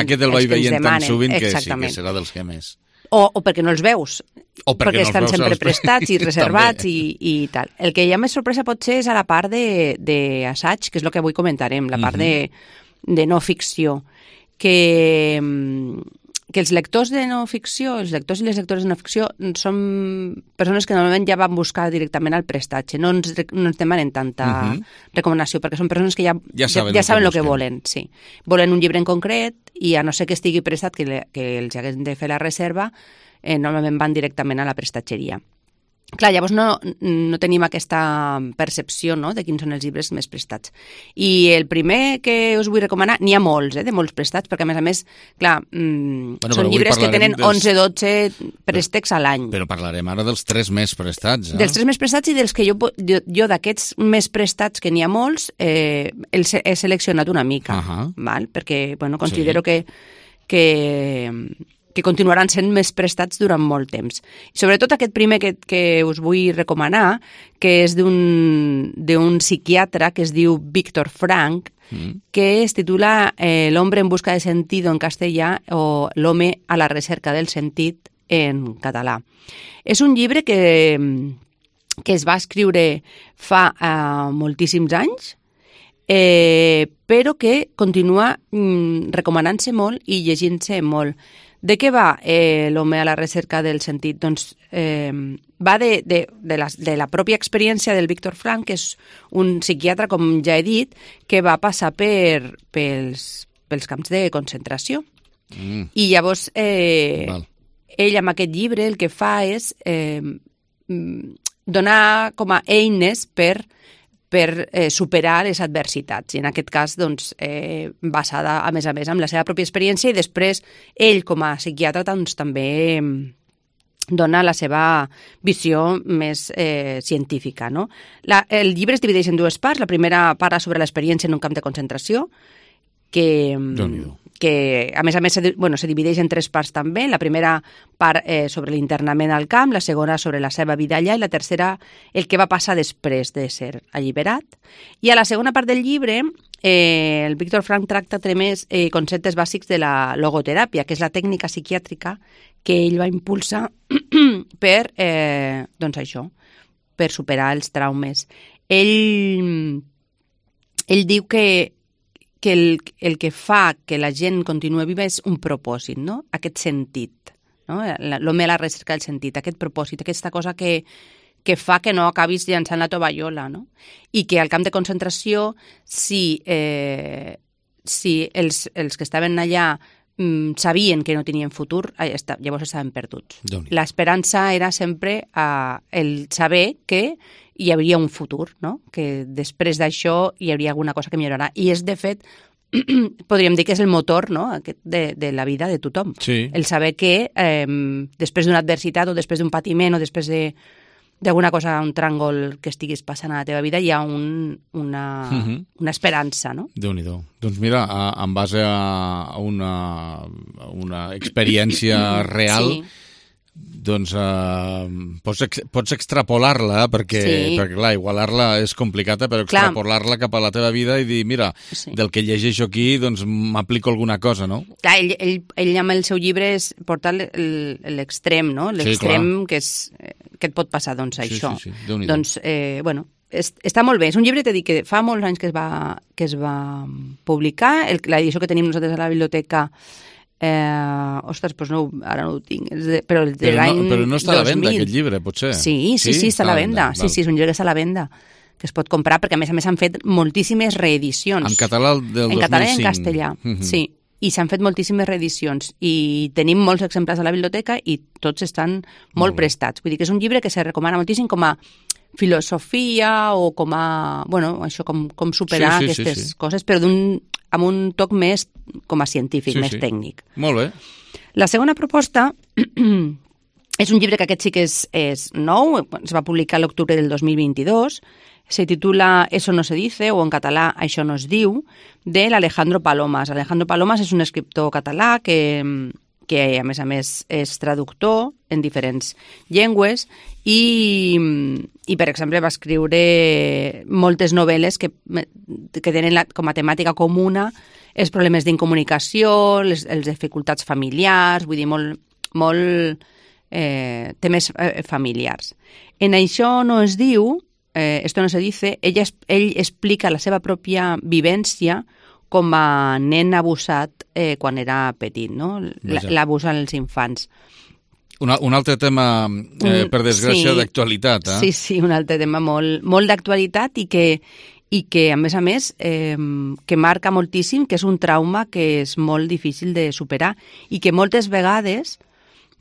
Aquest el vaig veient tan sovint que sí, que serà dels que més. O perquè no els veus, perquè estan sempre prestats i reservats i tal. El que hi ha més sorpresa potser és a la part d'assaig, que és el que avui comentarem, la part de no ficció, que els lectors de no ficció, els lectors i les lectores de no ficció són persones que normalment ja van buscar directament al prestatge, no ens demanen tanta recomanació, perquè són persones que ja saben el que volen. Sí. Volen un llibre en concret i a no ser que estigui prestat, que els haguem de fer la reserva, normalment van directament a la prestatgeria. Clar, llavors no tenim aquesta percepció, no?, de quins són els llibres més prestats. I el primer que us vull recomanar, n'hi ha molts, de molts prestats, perquè a més, clar, són llibres que tenen 11-12 préstecs a l'any. Però parlarem ara dels 3 més prestats. Dels 3 més prestats i dels que jo d'aquests més prestats, que n'hi ha molts, els he seleccionat una mica, perquè considero que continuaran sent més prestats durant molt temps. I sobretot aquest primer que us vull recomanar, que és d'un psiquiatre que es diu Víctor Frank, que es titula El hombre en busca de sentido en castellà o L'home a la recerca del sentit en català. És un llibre que es va escriure fa moltíssims anys, però que continua recomanant-se molt i llegint-se molt. De què va l'home a la recerca del sentit? Doncs va de la pròpia experiència del Viktor Frankl, que és un psiquiatre, com ja he dit, que va passar pels camps de concentració. I llavors ell amb aquest llibre el que fa és donar com a eines per superar les adversitats. I en aquest cas, doncs, basada, a més, en la seva pròpia experiència, i després ell, com a psiquiatre, doncs, també dona la seva visió més científica, no? El llibre es divideix en dues parts. La primera parla sobre l'experiència en un camp de concentració, que a més se divideix en tres parts també. La primera part sobre l'internament al camp, la segona sobre la seva vida allà i la tercera el que va passar després de ser alliberat. I a la segona part del llibre el Viktor Frankl tracta tres conceptes bàsics de la logoteràpia, que és la tècnica psiquiàtrica que ell va impulsar per superar els traumes. Ell diu que el que fa que la gent continua viva és un propòsit, no? Aquest sentit, no? L'home a la recerca del sentit, aquest propòsit, aquesta cosa que fa que no acabis llançant la tovallola, no? I que al camp de concentració, si els que estaven allà sabien que no tenien futur, llavors estaven perduts. L'esperança era sempre el saber que hi hauria un futur, no? Que després d'això hi hauria alguna cosa que millorarà. I és, de fet, podríem dir que és el motor, no? de la vida de tothom. Sí. El saber que després d'una adversitat o després d'un patiment o després d'alguna cosa, un tràngol que estiguis passant a la teva vida, hi ha una esperança, no? Déu-n'hi-do. Doncs mira, en base a una experiència real, sí, doncs pots extrapolar-la, perquè clar, igualar-la és complicat, però extrapolar-la cap a la teva vida i dir, mira, del que llegeixo aquí, doncs m'aplico alguna cosa, no? Clar, ell amb el seu llibre és portar l'extrem, no? L'extrem que et pot passar, doncs, això. Sí. Déu-n'hi-do. Doncs, està molt bé. És un llibre, t'he dit, que fa molts anys que es va publicar. L'edició que tenim nosaltres a la biblioteca, ostres, doncs no, ara no ho tinc, però el de l'any 2000. Però no està a la venda, aquest llibre, potser? Sí, està a la venda. Sí, és un llibre que està a la venda, que es pot comprar, perquè a més han fet moltíssimes reedicions. En català del 2005. En català i en castellà, sí. I s'han fet moltíssimes reedicions i tenim molts exemplars a la biblioteca i tots estan molt prestats. Vull dir que és un llibre que se recomana moltíssim com a filosofia o com a, això, com superar aquestes coses, però amb un toc més com a científic, més tècnic. Molt bé. La segona proposta és un llibre que aquest sí que és nou, es va publicar a l'octubre del 2022, se titula Eso no se dice, o en català Això no es diu, de l'Alejandro Palomas. Alejandro Palomas és un escriptor català que a més és traductor en diferents llengües i per exemple, va escriure moltes novel·les que tenen com a temàtica comuna els problemes d'incomunicació, les dificultats familiars, vull dir, molt temes familiars. En Això no es diu, Esto no se dice, ell explica la seva pròpia vivència com a nen abusat quan era petit, no? L'abús als infants. Un altre tema, per desgràcia, d'actualitat. Sí, un altre tema molt d'actualitat i que a més, que marca moltíssim, que és un trauma que és molt difícil de superar i que moltes vegades,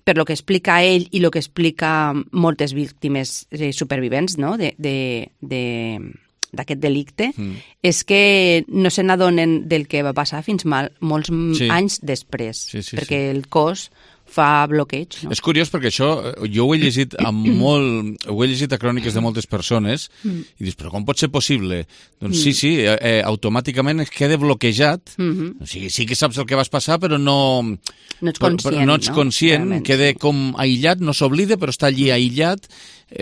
per lo que explica ell i lo que explica moltes víctimes supervivents, no?, d'aquest delicte, és que no se n'adonen del que va passar fins molts anys després, perquè el cos fa bloqueig. No? És curiós perquè això, jo ho he llegit a cròniques de moltes persones i dius, però com pot ser possible? Doncs sí, automàticament es queda bloquejat, o sigui, sí que saps el que vas passar, però no ets conscient, queda com aïllat, no s'oblida, però està allí aïllat,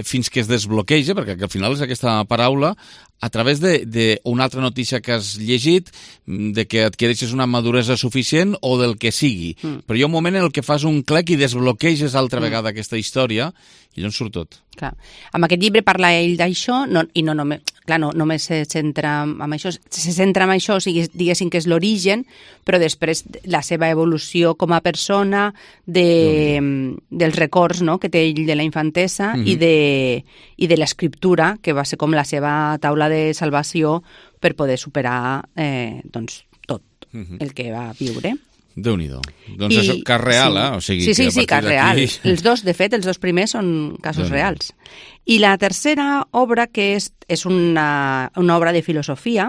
fins que es desbloqueja, perquè al final és aquesta paraula, a través d'una altra notícia que has llegit, de que adquireixes una maduresa suficient o del que sigui. Però hi ha un moment en el que fas un clic i desbloqueges altra vegada aquesta història i llavors surt tot. Clar. Amb aquest llibre parla ell d'això i no només se centra en això, o sigui, diguéssim que és l'origen, però després la seva evolució com a persona, dels records, no?, que té ell de la infantesa i de l'escriptura, que va ser com la seva taula de salvació per poder superar tot el que va viure. Déu-n'hi-do. Doncs això, cas real, O sigui, sí, cas real. Els dos primers són casos reals. I la tercera obra, que és una obra de filosofia,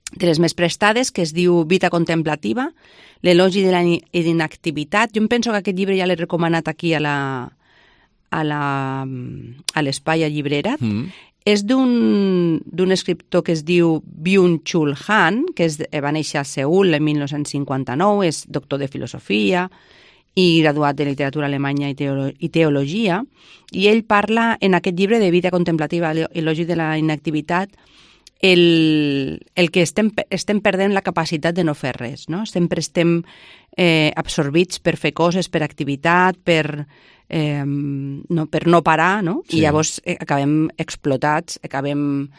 de les més prestades, que es diu Vita contemplativa, l'elogi de la inactivitat. Jo em penso que aquest llibre ja l'he recomanat aquí a l'Espai a Llibrerat. És d'un escriptor que es diu Byung-Chul Han, que va néixer a Seül en 1959, és doctor de filosofia i graduat de literatura alemanya i teologia, i ell parla en aquest llibre de Vida contemplativa, elogi de la inactivitat, el que estem perdent la capacitat de no fer res, no? Sempre estem absorbits per fer coses, per activitat, per no parar, no? Sí. I llavors acabem explotats, acabem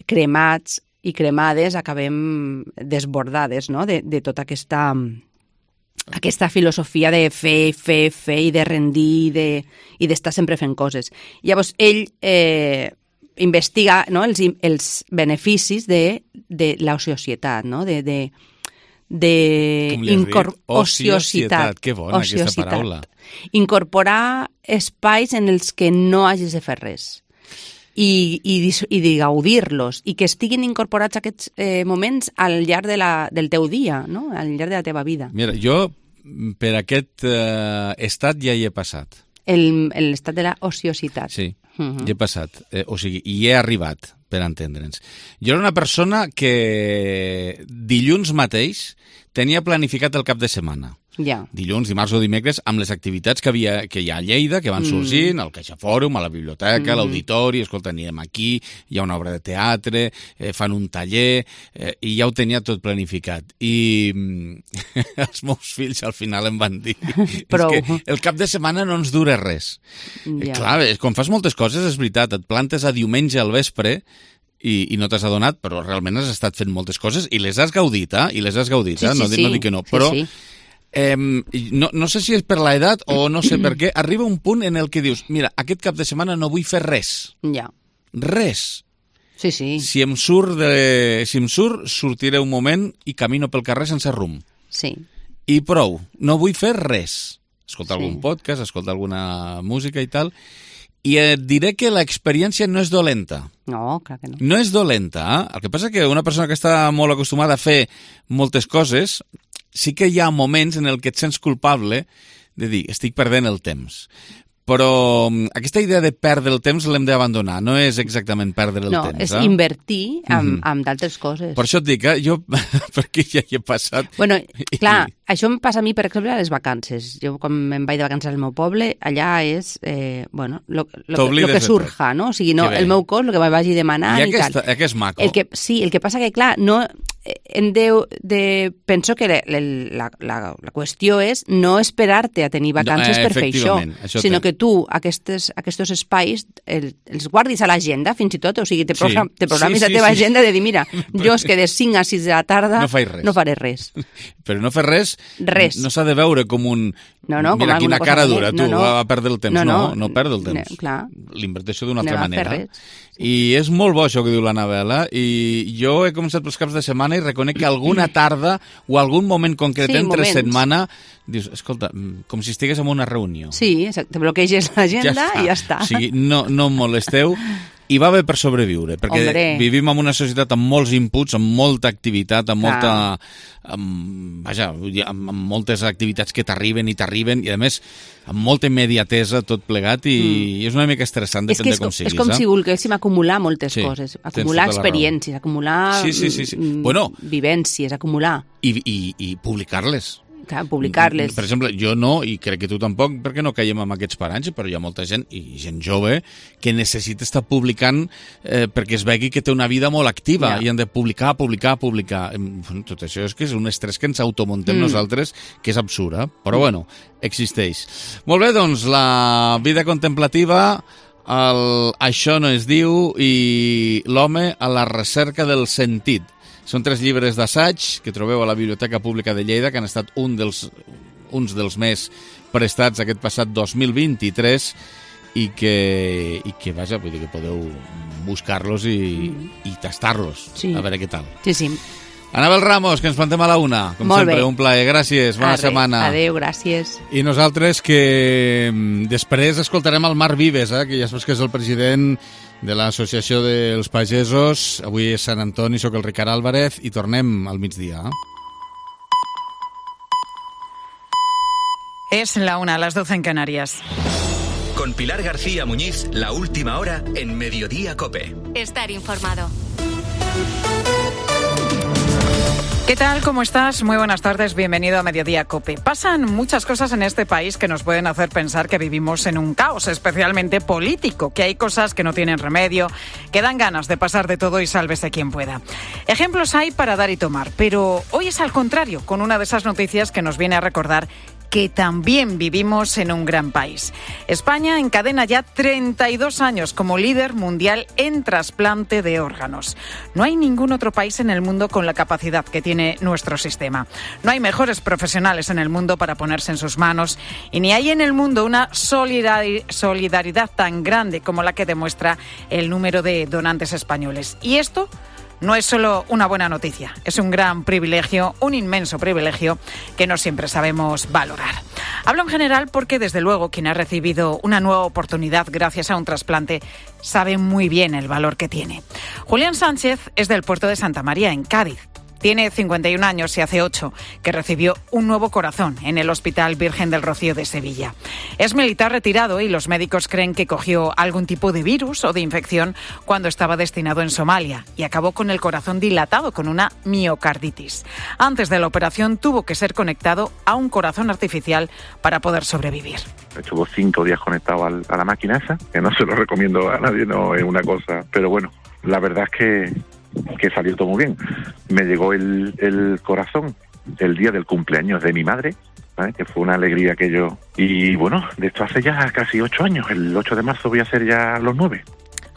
cremats i cremades, acabem desbordades, no?, de tota aquesta filosofia de fer i de rendir i d'estar sempre fent coses. Llavors ell investiga, no?, els beneficis de l'ociositat, no?, ociositat. Que bona aquesta paraula. Incorporar espais en els que no hagis de fer res i de gaudir-los, i que estiguin incorporats aquests moments al llarg del teu dia, no?, al llarg de la teva vida. Mira, jo per aquest estat ja hi he passat. L'estat de la ociositat. Sí, hi he passat. O sigui, hi he arribat, per entendre'ns. Jo era una persona que dilluns mateix tenia planificat el cap de setmana. Ja. Dilluns, dimarts o dimecres, amb les activitats que hi ha a Lleida, que van sorgint, al CaixaFòrum, a la biblioteca, a l'auditori, escolta, anirem aquí, hi ha una obra de teatre, fan un taller, i ja ho tenia tot planificat. I els meus fills al final em van dir que el cap de setmana no ens dura res. Clar, quan fas moltes coses, és veritat, et plantes a diumenge al vespre i no t'has adonat, però realment has estat fent moltes coses i les has gaudit, no dic que no, però... No sé si és per l'edat o no sé per què, arriba un punt en el que dius, mira, aquest cap de setmana no vull fer res. Ja. Res. Sí. Si em surt, sortiré un moment i camino pel carrer sense rumb. Sí. I prou, no vull fer res. Escoltar algun podcast, escoltar alguna música i tal. I et diré que l'experiència no és dolenta. No, clar que no. No és dolenta. El que passa que una persona que està molt acostumada a fer moltes coses, sí que hi ha moments en el que et sents culpable de dir, estic perdent el temps. Però aquesta idea de perdre el temps l'hem d'abandonar, no és exactament perdre el temps. No, és invertir en d'altres coses. Per això et dic, jo, perquè ja hi he passat... Bueno, clar, això em passa a mi, per exemple, a les vacances. Jo, quan me'n vaig de vacances al meu poble, allà és, lo que surja, no? O sigui, no, el meu cos, el que me vagi demanant i tal. I que és maco. Sí, el que passa que, clar, no... penso que la qüestió és no esperar-te a tenir vacances per fer això, sinó que tu aquests espais els guardis a l'agenda, fins i tot, o sigui, te programis la teva agenda de dir, mira, jo és que de 5 a 6 de la tarda no faré res. Però no fer res no s'ha de veure com un... Mira quina cara dura, tu, va perdre el temps. No perdre el temps. L'inverteixo d'una altra manera. I és molt bo això que diu l'Anabela, i jo he començat pels caps de setmana i reconec que alguna tarda o algun moment concret entre setmana dius, escolta, com si estigués en una reunió. Sí, exacte, bloqueges l'agenda i ja està. O sigui, no em molesteu. I va bé per sobreviure, perquè vivim en una societat amb molts inputs, amb molta activitat, amb moltes activitats que t'arriben, i a més amb molta immediatesa tot plegat, i és una mica estressant, depèn de com siguis. És com si volguéssim acumular moltes coses, acumular experiències, acumular vivències, acumular... I publicar-les. publicar-les. Per exemple, jo no, i crec que tu tampoc, perquè no caiem amb aquests paranys, però hi ha molta gent, i gent jove, que necessita estar publicant perquè es vegi que té una vida molt activa, i han de publicar. Tot això és que és un estrès que ens automontem nosaltres, que és absurd, però bueno, existeix. Molt bé, doncs, la vida contemplativa, Això no es diu, i l'home a la recerca del sentit. Són 3 llibres d'assaig que trobeu a la Biblioteca Pública de Lleida, que han estat uns dels més prestats aquest passat 2023 i que vaja, vull dir que podeu buscar-los i tastar-los, a veure què tal. Sí. Anabel Ramos, que ens plantem a la 1. Com Molt sempre, bé. un plaer. Gràcies, bona setmana. Adéu, gràcies. I nosaltres que després escoltarem el Marc Vives, que ja saps que és el president de l'Associació dels Pagesos. Avui és Sant Antoni, soc el Ricard Álvarez i tornem al migdia. Es la 1, las 12 en Canarias. Con Pilar García Muñiz, la última hora en Mediodía COPE. Estar informado. ¿Qué tal? ¿Cómo estás? Muy buenas tardes, bienvenido a Mediodía COPE. Pasan muchas cosas en este país que nos pueden hacer pensar que vivimos en un caos, especialmente político, que hay cosas que no tienen remedio, que dan ganas de pasar de todo y sálvese quien pueda. Ejemplos hay para dar y tomar, pero hoy es al contrario, con una de esas noticias que nos viene a recordar que también vivimos en un gran país. España encadena ya 32 años como líder mundial en trasplante de órganos. No hay ningún otro país en el mundo con la capacidad que tiene nuestro sistema. No hay mejores profesionales en el mundo para ponerse en sus manos y ni hay en el mundo una solidaridad tan grande como la que demuestra el número de donantes españoles. Y esto no es solo una buena noticia, es un gran privilegio, un inmenso privilegio que no siempre sabemos valorar. Hablo en general porque, desde luego, quien ha recibido una nueva oportunidad gracias a un trasplante sabe muy bien el valor que tiene. Julián Sánchez es del puerto de Santa María, en Cádiz. Tiene 51 años y hace 8 que recibió un nuevo corazón en el Hospital Virgen del Rocío de Sevilla. Es militar retirado y los médicos creen que cogió algún tipo de virus o de infección cuando estaba destinado en Somalia y acabó con el corazón dilatado con una miocarditis. Antes de la operación tuvo que ser conectado a un corazón artificial para poder sobrevivir. Estuvo 5 días conectado a la máquina esa, que no se lo recomiendo a nadie, no es una cosa, pero bueno, la verdad es que salió todo muy bien. Me llegó el corazón el día del cumpleaños de mi madre, ¿sabes? Que fue una alegría aquello. Y bueno, de esto hace ya casi 8 años. El 8 de marzo voy a hacer ya los 9.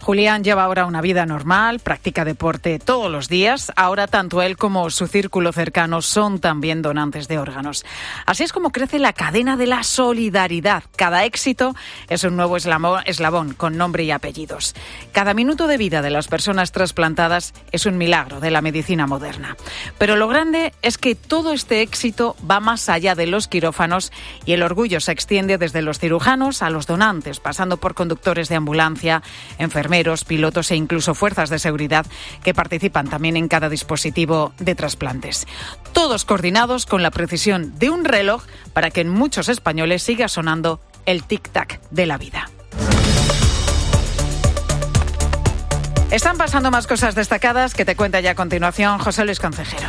Julián lleva ahora una vida normal, practica deporte todos los días. Ahora tanto él como su círculo cercano son también donantes de órganos. Así es como crece la cadena de la solidaridad. Cada éxito es un nuevo eslabón con nombre y apellidos. Cada minuto de vida de las personas trasplantadas es un milagro de la medicina moderna. Pero lo grande es que todo este éxito va más allá de los quirófanos y el orgullo se extiende desde los cirujanos a los donantes, pasando por conductores de ambulancia, enfermeros, pilotos e incluso fuerzas de seguridad que participan también en cada dispositivo de trasplantes. Todos coordinados con la precisión de un reloj para que en muchos españoles siga sonando el tic-tac de la vida. Están pasando más cosas destacadas que te cuenta ya a continuación José Luis Concejero.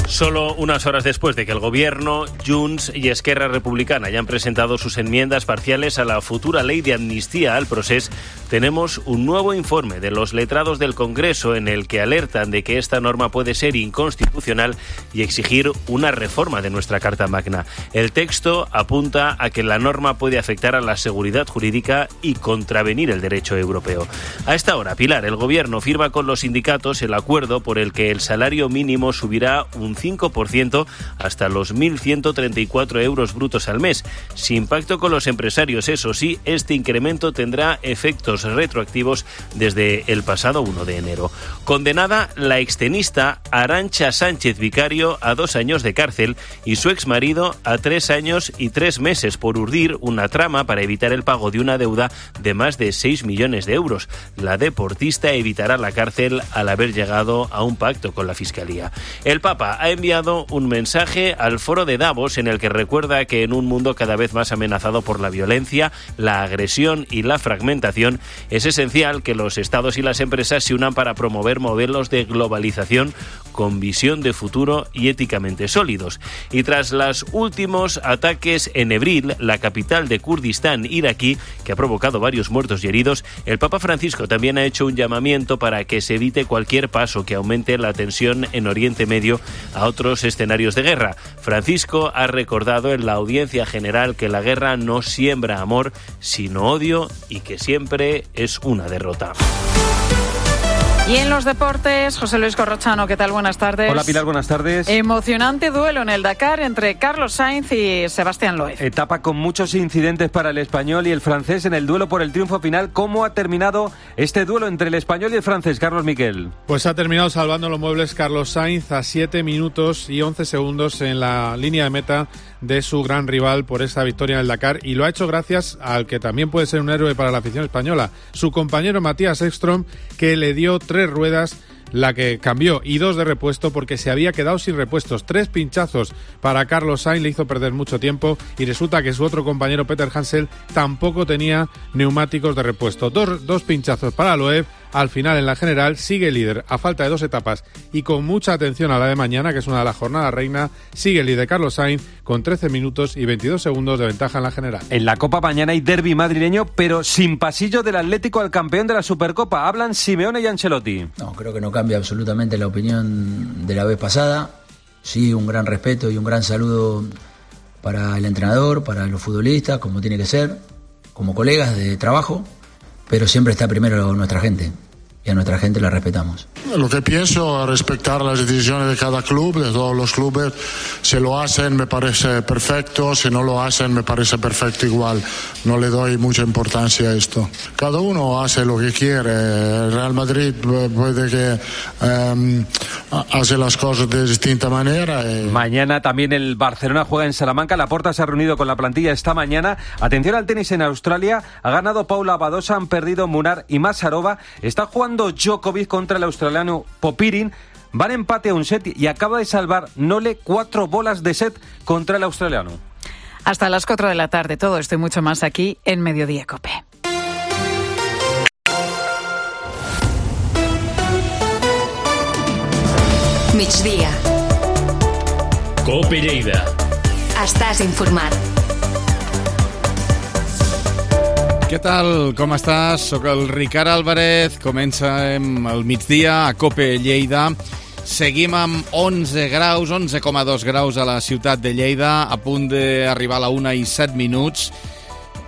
Solo unas horas después de que el Gobierno, Junts y Esquerra Republicana hayan presentado sus enmiendas parciales a la futura ley de amnistía al procés, tenemos un nuevo informe de los letrados del Congreso en el que alertan de que esta norma puede ser inconstitucional y exigir una reforma de nuestra Carta Magna. El texto apunta a que la norma puede afectar a la seguridad jurídica y contravenir el derecho europeo. A esta hora, Pilar, el Gobierno firma con los sindicatos el acuerdo por el que el salario mínimo subirá un 5% hasta los 1.134 euros brutos al mes. Sin pacto con los empresarios, eso sí, este incremento tendrá efectos retroactivos desde el pasado 1 de enero. Condenada la extenista Arantxa Sánchez Vicario a 2 años de cárcel y su exmarido a 3 años y 3 meses por urdir una trama para evitar el pago de una deuda de más de 6 millones de euros. La deportista evitará la cárcel al haber llegado a un pacto con la Fiscalía. El Papa ha enviado un mensaje al foro de Davos en el que recuerda que en un mundo cada vez más amenazado por la violencia, la agresión y la fragmentación, es esencial que los estados y las empresas se unan para promover modelos de globalización con visión de futuro y éticamente sólidos. Y tras los últimos ataques en Erbil, la capital de Kurdistán iraquí, que ha provocado varios muertos y heridos, el Papa Francisco también ha hecho un llamamiento para que se evite cualquier paso que aumente la tensión en Oriente Medio a otros escenarios de guerra. Francisco ha recordado en la audiencia general que la guerra no siembra amor, sino odio, y que siempre es una derrota. Y en los deportes, José Luis Corrochano, ¿qué tal? Buenas tardes. Hola Pilar, buenas tardes. Emocionante duelo en el Dakar entre Carlos Sainz y Sebastián Loeb. Etapa con muchos incidentes para el español y el francés en el duelo por el triunfo final. ¿Cómo ha terminado este duelo entre el español y el francés, Carlos Miquel? Pues ha terminado salvando los muebles Carlos Sainz a 7 minutos y 11 segundos en la línea de meta de su gran rival por esta victoria en el Dakar, y lo ha hecho gracias al que también puede ser un héroe para la afición española, su compañero Matías Ekström, que le dio 3 ruedas, la que cambió, y 2 de repuesto porque se había quedado sin repuestos. 3 pinchazos para Carlos Sainz le hizo perder mucho tiempo, y resulta que su otro compañero Peter Hansel tampoco tenía neumáticos de repuesto. 2 pinchazos para Loeb. Al final, en la general, sigue líder a falta de 2 etapas y con mucha atención a la de mañana, que es una de las jornadas reina. Sigue el líder Carlos Sainz con 13 minutos y 22 segundos de ventaja en la general. En la Copa mañana hay derbi madrileño, pero sin pasillo del Atlético al campeón de la Supercopa. Hablan Simeone y Ancelotti. No, creo que no cambia absolutamente la opinión de la vez pasada. Sí, un gran respeto y un gran saludo para el entrenador, para los futbolistas, como tiene que ser, como colegas de trabajo. Pero siempre está primero nuestra gente, y a nuestra gente la respetamos. Lo que pienso es respetar las decisiones de cada club, de todos los clubes. Si lo hacen me parece perfecto, si no lo hacen me parece perfecto igual. No le doy mucha importancia a esto. Cada uno hace lo que quiere. El Real Madrid puede que hace las cosas de distinta manera. Mañana también el Barcelona juega en Salamanca. Laporta se ha reunido con la plantilla esta mañana. Atención al tenis en Australia. Ha ganado Paula Badosa, han perdido Munar y Masarova. Está jugando Djokovic contra el australiano Popirin. Van empate a un set y acaba de salvar Nole 4 bolas de set contra el australiano. Hasta las 4 de la tarde, todo esto y mucho más aquí en Mediodía COPE. Migdia. COPE Lleida. Estàs informat. Què tal? Com estàs? Soc el Ricard Álvarez. Comencem el migdia a COPE Lleida. Seguim amb 11 graus, 11,2 graus a la ciutat de Lleida, a punt d'arribar a la 1 i 7 minuts.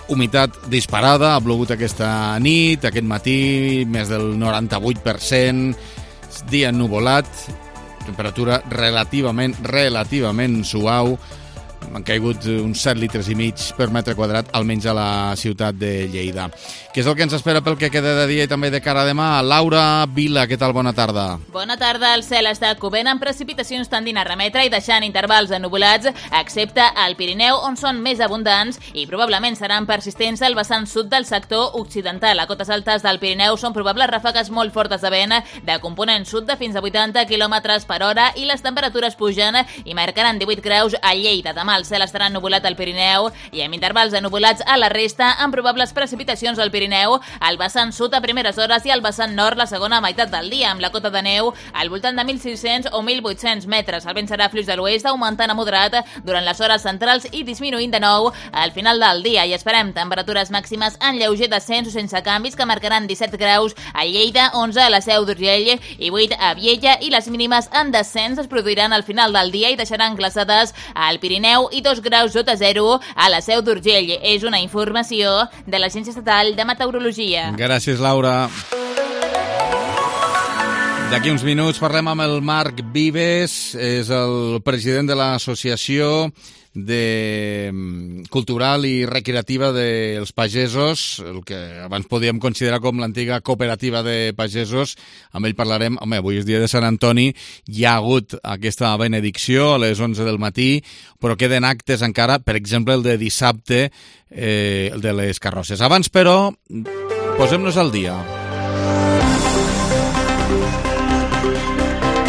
Humitat disparada, ha plogut aquesta nit, aquest matí, més del 98%, dia ennuvolat, temperatura relativament suau. Han caigut uns 7 litres i mig per metre quadrat, almenys a la ciutat de Lleida. Què és el que ens espera pel que queda de dia i també de cara a demà? Laura Vila, què tal? Bona tarda. Bona tarda. El cel està cobert amb precipitacions tendint a remetre i deixant intervals ennuvolats, excepte al Pirineu, on són més abundants i probablement seran persistents al vessant sud del sector occidental. A cotes altes del Pirineu són probables ràfegues molt fortes de vent de component sud de fins a 80 km per hora i les temperatures pugen i marcaran 18 graus a Lleida. Demà el cel estarà ennuvolat al Pirineu i amb intervals ennuvolats a la resta, amb probables precipitacions al Pirineu, al vessant sud a primeres hores i al vessant nord la segona meitat del dia, amb la cota de neu al voltant de 1.600 o 1.800 metres. El vent serà fluix de l'oest, augmentant a moderat durant les hores centrals i disminuint de nou al final del dia. I esperem temperatures màximes en lleuger descens o sense canvis, que marcaran 17 graus a Lleida, 11 a la Seu d'Urgell i 8 a Viella, i les mínimes en descens es produiran al final del dia i deixaran glaçades al Pirineu i 2 graus sota zero a la Seu d'Urgell. És una informació de l'Agència Estatal de Meteorologia. Gràcies, Laura. D'aquí uns minuts parlem amb el Marc Vives, és el president de l'Associació Cultural i Recreativa dels Pagesos, el que abans podíem considerar com l'antiga cooperativa de pagesos. Amb ell parlarem. Home, avui és dia de Sant Antoni, hi ha hagut aquesta benedicció a les 11 del matí, però queden actes encara, per exemple el de dissabte, el de les carrosses. Abans, però, posem-nos al dia.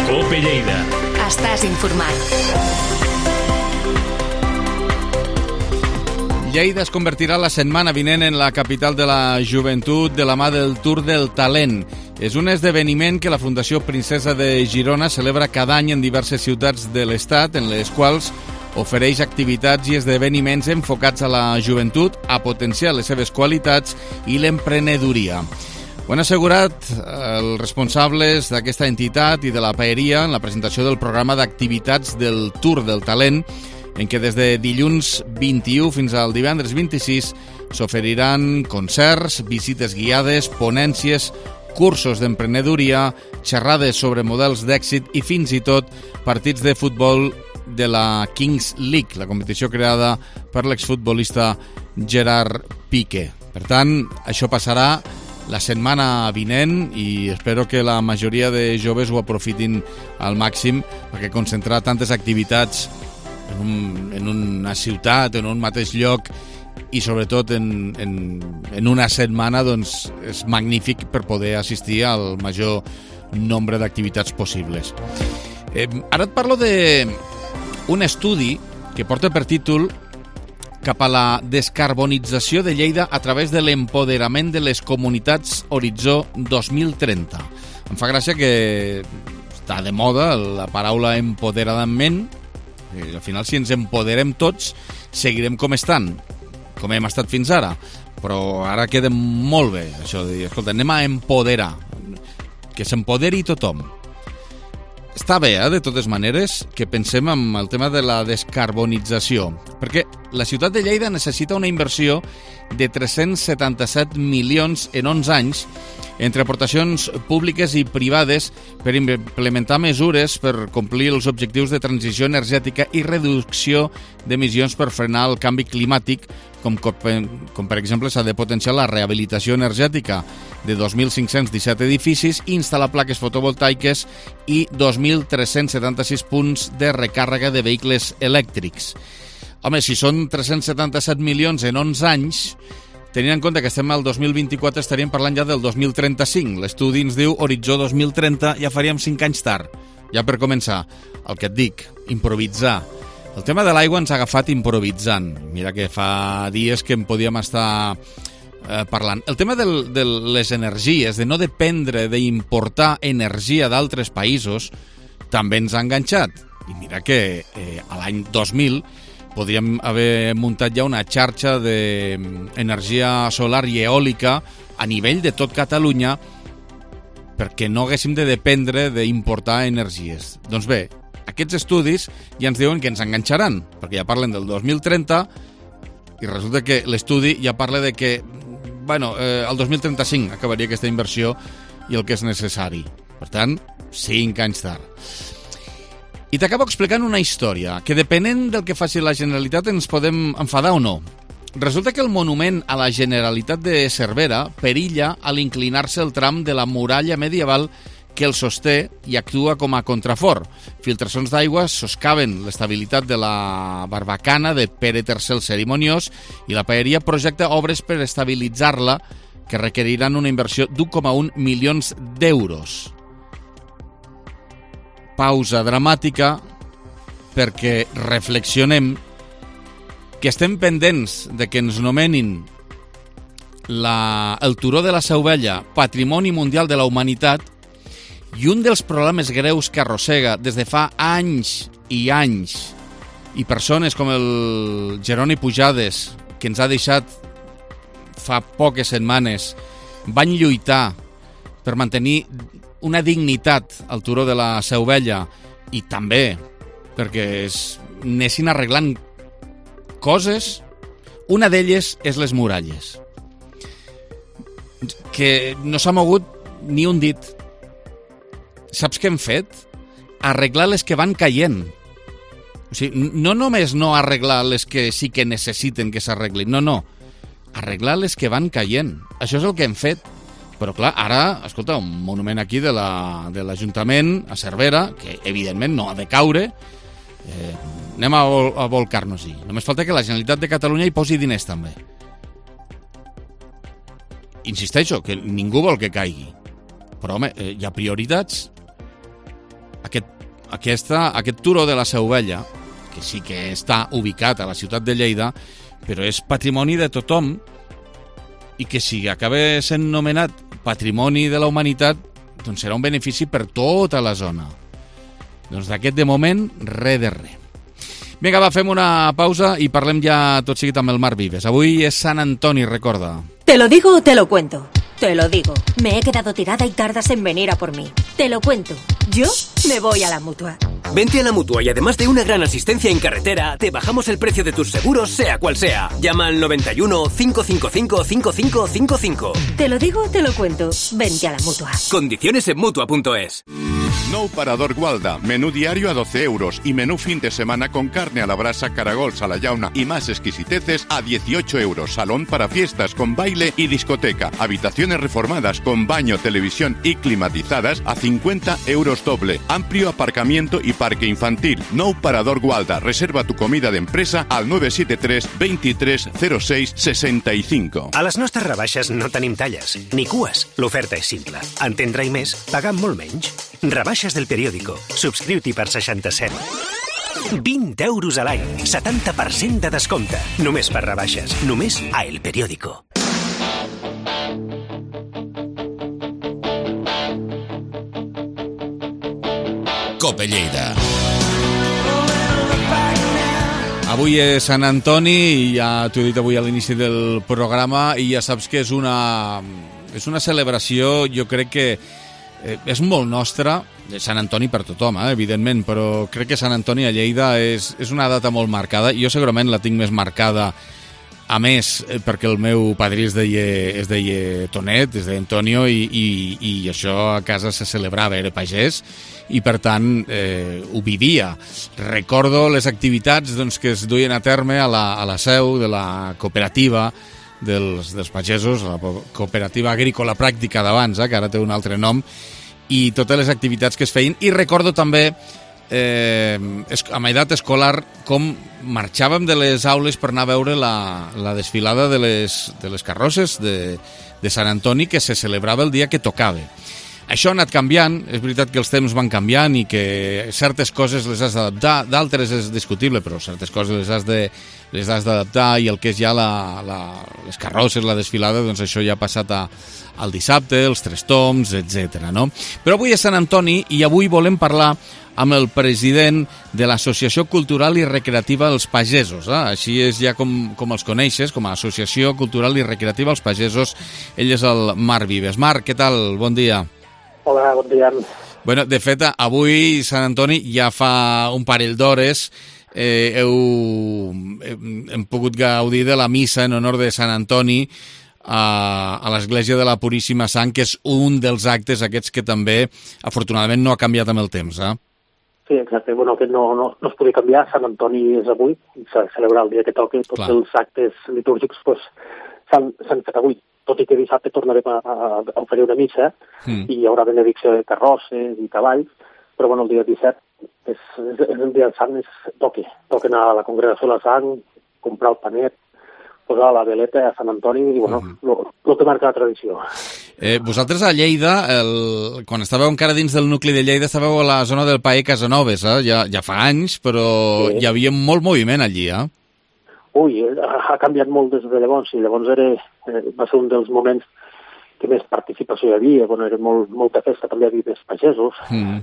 COPE Lleida. Estàs informat. Lleida es convertirà la setmana vinent en la capital de la joventut de la mà del Tour del Talent. És un esdeveniment que la Fundació Princesa de Girona celebra cada any en diverses ciutats de l'Estat, en les quals ofereix activitats i esdeveniments enfocats a la joventut, a potenciar les seves qualitats i l'emprenedoria. Ho han assegurat els responsables d'aquesta entitat i de la paeria en la presentació del programa d'activitats del Tour del Talent, en què des de dilluns 21 fins al divendres 26 s'oferiran concerts, visites guiades, ponències, cursos d'emprenedoria, xerrades sobre models d'èxit i fins i tot partits de futbol de la Kings League, la competició creada per l'exfutbolista Gerard Piqué. Per tant, això passarà la setmana vinent i espero que la majoria de joves ho aprofitin al màxim, perquè concentrar tantes activitats en una ciutat, en un mateix lloc i sobretot en una setmana, doncs és magnífic per poder assistir al major nombre d'activitats possibles. Ara et parlo d'un estudi que porta per títol cap a la descarbonització de Lleida a través de l'empoderament de les comunitats Horitzó 2030. Em fa gràcia que està de moda la paraula empoderament. Al final, si ens empoderem tots, seguirem com estan, com hem estat fins ara. Però ara queda molt bé això de dir, escolta, anem a empoderar, que s'empoderi tothom. Està bé, de totes maneres, que pensem en el tema de la descarbonització, perquè la ciutat de Lleida necessita una inversió de 377 milions en 11 anys entre aportacions públiques i privades per implementar mesures per complir els objectius de transició energètica i reducció d'emissions per frenar el canvi climàtic, com per exemple s'ha de potenciar la rehabilitació energètica de 2.517 edificis i instal·lar plaques fotovoltaiques i 2.376 punts de recàrrega de vehicles elèctrics. Home, si són 377 milions en 11 anys, tenint en compte que estem al 2024, estaríem parlant ja del 2035. L'estudi ens diu Horitzó 2030, ja faríem 5 anys tard. Ja per començar, el que et dic, improvisar. El tema de l'aigua ens ha agafat improvisant. Mira que fa dies que en podíem estar parlant. El tema de les energies, de no dependre d'importar energia d'altres països, també ens ha enganxat. I mira que a l'any 2000 podríem haver muntat ja una xarxa d'energia solar i eòlica a nivell de tot Catalunya perquè no haguéssim de dependre d'importar energies. Doncs bé, aquests estudis ja ens diuen que ens enganxaran, perquè ja parlen del 2030 i resulta que l'estudi ja parla de que el 2035 acabaria aquesta inversió i el que és necessari. Per tant, 5 anys tard. I t'acabo explicant una història que, depenent del que faci la Generalitat, ens podem enfadar o no. Resulta que el monument a la Generalitat de Cervera perilla a l'inclinar-se el tram de la muralla medieval que el sosté i actua com a contrafort. Filtracions d'aigua soscaven l'estabilitat de la barbacana de Pere III el Cerimoniós i la paeria projecta obres per estabilitzar-la que requeriran una inversió d'1,1 milions d'euros. Pausa dramàtica perquè reflexionem que estem pendents de que ens nomenin el turó de la Seu Vella Patrimoni Mundial de la Humanitat i un dels problemes greus que arrossega des de fa anys i anys i persones com el Jeroni Pujades, que ens ha deixat fa poques setmanes, van lluitar per mantenir una dignitat al turó de la Seu Vella i també perquè anessin arreglant coses. Una d'elles és les muralles, que no s'ha mogut ni un dit. Saps què hem fet? Arreglar les que van caient. O sigui, no només no arreglar les que sí que necessiten que s'arreglin, no. Arreglar les que van caient. Això és el que hem fet. Però clar, ara, escolta, un monument aquí de l'Ajuntament a Cervera, que evidentment no ha de caure, anem a volcar-nos-hi. Només falta que la Generalitat de Catalunya hi posi diners també. Insisteixo, que ningú vol que caigui. Però home, hi ha prioritats. Aquest turó de la Seu Vella, que sí que està ubicat a la ciutat de Lleida, però és patrimoni de tothom, i que si acaba sent nomenat Patrimoni de la Humanitat, doncs serà un benefici per tota la zona. Doncs d'aquest de moment, res de res. Vinga, va, fem una pausa i parlem ja tot seguit amb el Marc Vives. Avui és Sant Antoni, recorda. ¿Te lo digo o te lo cuento? Te lo digo. Me he quedado tirada y tardas en venir a por mí. Te lo cuento. Yo me voy a la Mutua. Vente a la Mutua y además de una gran asistencia en carretera, te bajamos el precio de tus seguros, sea cual sea. Llama al 91 555 5555. Te lo digo o te lo cuento. Vente a la Mutua. Condiciones en Mutua.es. Nou Parador Gualda, menú diario a 12 euros y menú fin de semana con carne a la brasa, caragols a la llauna y más exquisiteces a 18 euros. Salón para fiestas con baile y discoteca. Habitaciones reformadas con baño, televisión y climatizadas a 50 euros doble. Amplio aparcamiento y parque infantil. Nou Parador Gualda. Reserva tu comida d'empresa al 973 23 06 65. A les nostres rebaixes no tenim talles, ni cues. L'oferta és simple. Entendre i més, pagant molt menys. Rebaixes del periòdico. Subscriu-t'hi per 67. 20 euros a l'any. 70% de descompte. Només per rebaixes. Només a El Periódico. Cope Lleida. Avui és Sant Antoni i ja t'ho he dit avui a l'inici del programa i ja saps que és una celebració, jo crec que és molt nostra, Sant Antoni per tothom, evidentment, però crec que Sant Antoni a Lleida és una data molt marcada. Jo segurament la tinc més marcada, a més, perquè el meu padrí es deia Tonet, es deia Antonio, i això a casa se celebrava, era pagès, i per tant ho vivia. Recordo les activitats que es duien a terme a la seu de la cooperativa dels pagesos, la cooperativa agrícola pràctica d'abans, que ara té un altre nom, i totes les activitats que es feien. I recordo també, amb edat escolar, com marxàvem de les aules per anar a veure la desfilada de les carrosses de Sant Antoni, que se celebrava el dia que tocava. Això ha anat canviant, és veritat que els temps van canviant i que certes coses les has d'adaptar, d'altres és discutible, però certes coses les has d'adaptar, i el que és ja les carrosses, la desfilada, doncs això ja ha passat al dissabte, els tres toms, etc. No? Però avui és Sant Antoni i avui volem parlar amb el president de l'Associació Cultural i Recreativa Els Pagesos. Així és ja com els coneixes, com a Associació Cultural i Recreativa Els Pagesos. Ell és el Marc Vives. Marc, què tal? Bon dia. Hola, bon dia. Bueno, de fet, avui Sant Antoni ja fa un parell d'hores hem pogut gaudir de la missa en honor de Sant Antoni a l'Església de la Puríssima Sang, que és un dels actes aquests que també, afortunadament, no ha canviat amb el temps, Sí, exacte. Bueno, que no es podia canviar. Sant Antoni és avui, s'ha de celebrar el dia que toqui. Tots els actes litúrgics s'han fet avui. Tot i que dissabte tornarem a oferir una missa i hi haurà benedicció de carrosses i cavalls, però bueno, el dia 17 és el dia del Sant, toca anar a la congregació de la Sang, comprar el panet, posar la veleta a Sant Antoni i bueno, el que marca la tradició. Vosaltres a Lleida, quan estàveu encara dins del nucli de Lleida, estàveu a la zona del Paer Casanovas, ja fa anys, però hi havia molt moviment allí, Ui, ha canviat molt des de llavors, i llavors va ser un dels moments que més participació hi havia, era molta festa, també hi havia més pagesos,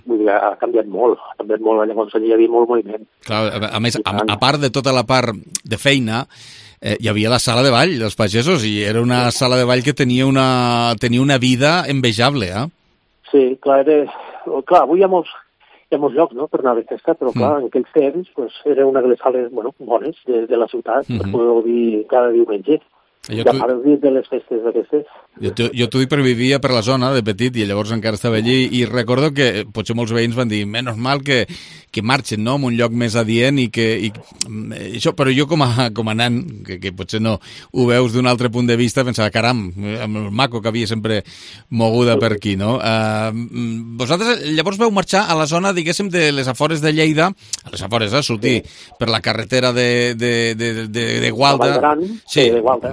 vull dir, ha canviat molt, llavors allí hi havia molt moviment. Clar, a més, a part de tota la part de feina, hi havia la sala de ball dels pagesos, i era una sala de ball que tenia una vida envejable, Sí, clar, avui hi ha molts llocs per anar de festa, però clar, en aquells temps era una de les sales bones de la ciutat per poder gaudir cada diumenge. Ja fa el dia de les festes d'aquestes. Jo t'ho dic perquè vivia per la zona de petit i llavors encara estava allí i recordo que potser molts veïns van dir menys mal que marxen, no?, en un lloc més adient això, però jo com a nan, que potser no ho veus d'un altre punt de vista, pensava, caram, amb el maco que havia sempre moguda per aquí, no? Vosaltres llavors vau marxar a la zona, diguéssim, de les afores de Lleida, a les afores, sortir per la carretera de Gualda. Sí, de Gualda,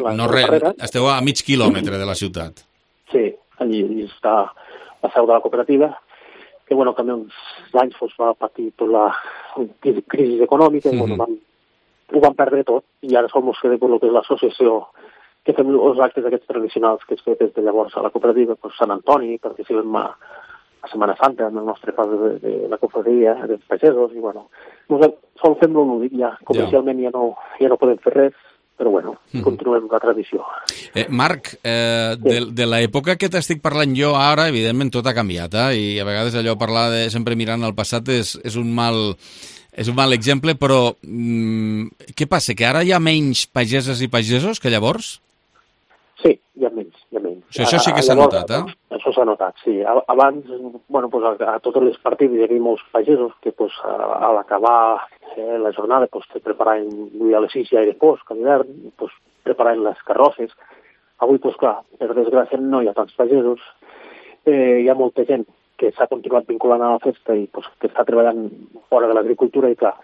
esteu a mig quilòmetre de la ciutat. Sí, allí està la seu de la cooperativa, que també uns anys va patir tota la crisi econòmica, ho van perdre tot, i ara som els que de el que és l'associació que fem els actes aquests tradicionals que es fet des de llavors a la cooperativa, doncs Sant Antoni, participem a Setmana Santa, en el nostre pas de la cofradia, dels pagesos, i bueno, sol fem-lo lúdic ja, comercialment ja no podem fer res, però bueno, continuem la tradició. Marc, de l'època que t'estic parlant jo ara, evidentment tot ha canviat, i a vegades allò parlar de sempre mirant al passat és un mal exemple, però què passa, que ara hi ha menys pageses i pagesos que llavors? Sí, hi ha menys. Això sí que s'ha notat, Això s'ha notat, sí. Abans, a totes les partides hi havia molts pagesos que a l'acabar la jornada se preparaven a les 6 ja era fosc, a l'hivern, preparaven les carrosses. Avui, clar, per desgràcia no hi ha tants pagesos. Hi ha molta gent que s'ha continuat vinculant a la festa i que està treballant fora de l'agricultura i, clar,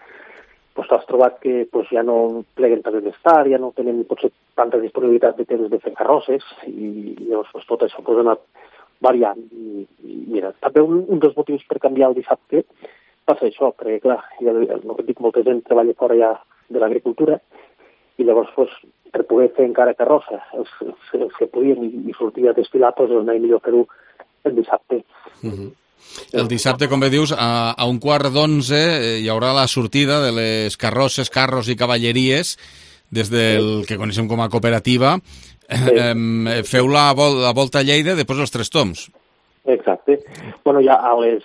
t'has trobat que ja no pleguen tant més tard, ja no tenen potser tanta disponibilitat de temps de fer carrosses i llavors tot això ha anat variant. I mira, també un dels motius per canviar el dissabte va ser això, perquè clar, el que dic, molta gent treballa fora ja de l'agricultura i llavors per poder fer encara carrossa els que podien i sortir a desfilar, anava millor fer-ho el dissabte. El dissabte, com bé dius, a 11:15 hi haurà la sortida de les carrosses, carros i cavalleries des del que coneixem com a cooperativa. Feu la volta a Lleida després els Tres Tombs. Exacte. Bueno, ja a les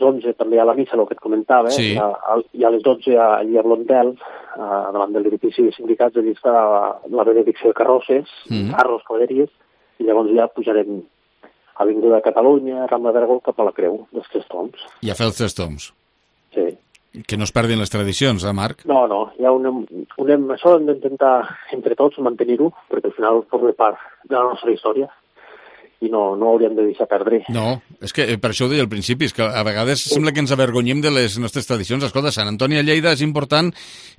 11 també a la missa, el que et comentava, i a les 12 allà a Blondel, davant de l'edifici de sindicats, allà està la benedicció de carrosses, carros, cavalleries, i llavors ja pujarem Avinguda de Catalunya, Rambla d'Aragó, cap a la Creu, dels Tres Tombs. I a fer els Tres Tombs. Sí. Que no es perdin les tradicions, Marc? No, ja això hem d'intentar entre tots mantenir-ho, perquè al final forma part de la nostra història i no hauríem de deixar perdre. No, és que per això ho deia al principi, és que a vegades sembla que ens avergonyem de les nostres tradicions. Escolta, Sant Antoni a Lleida és important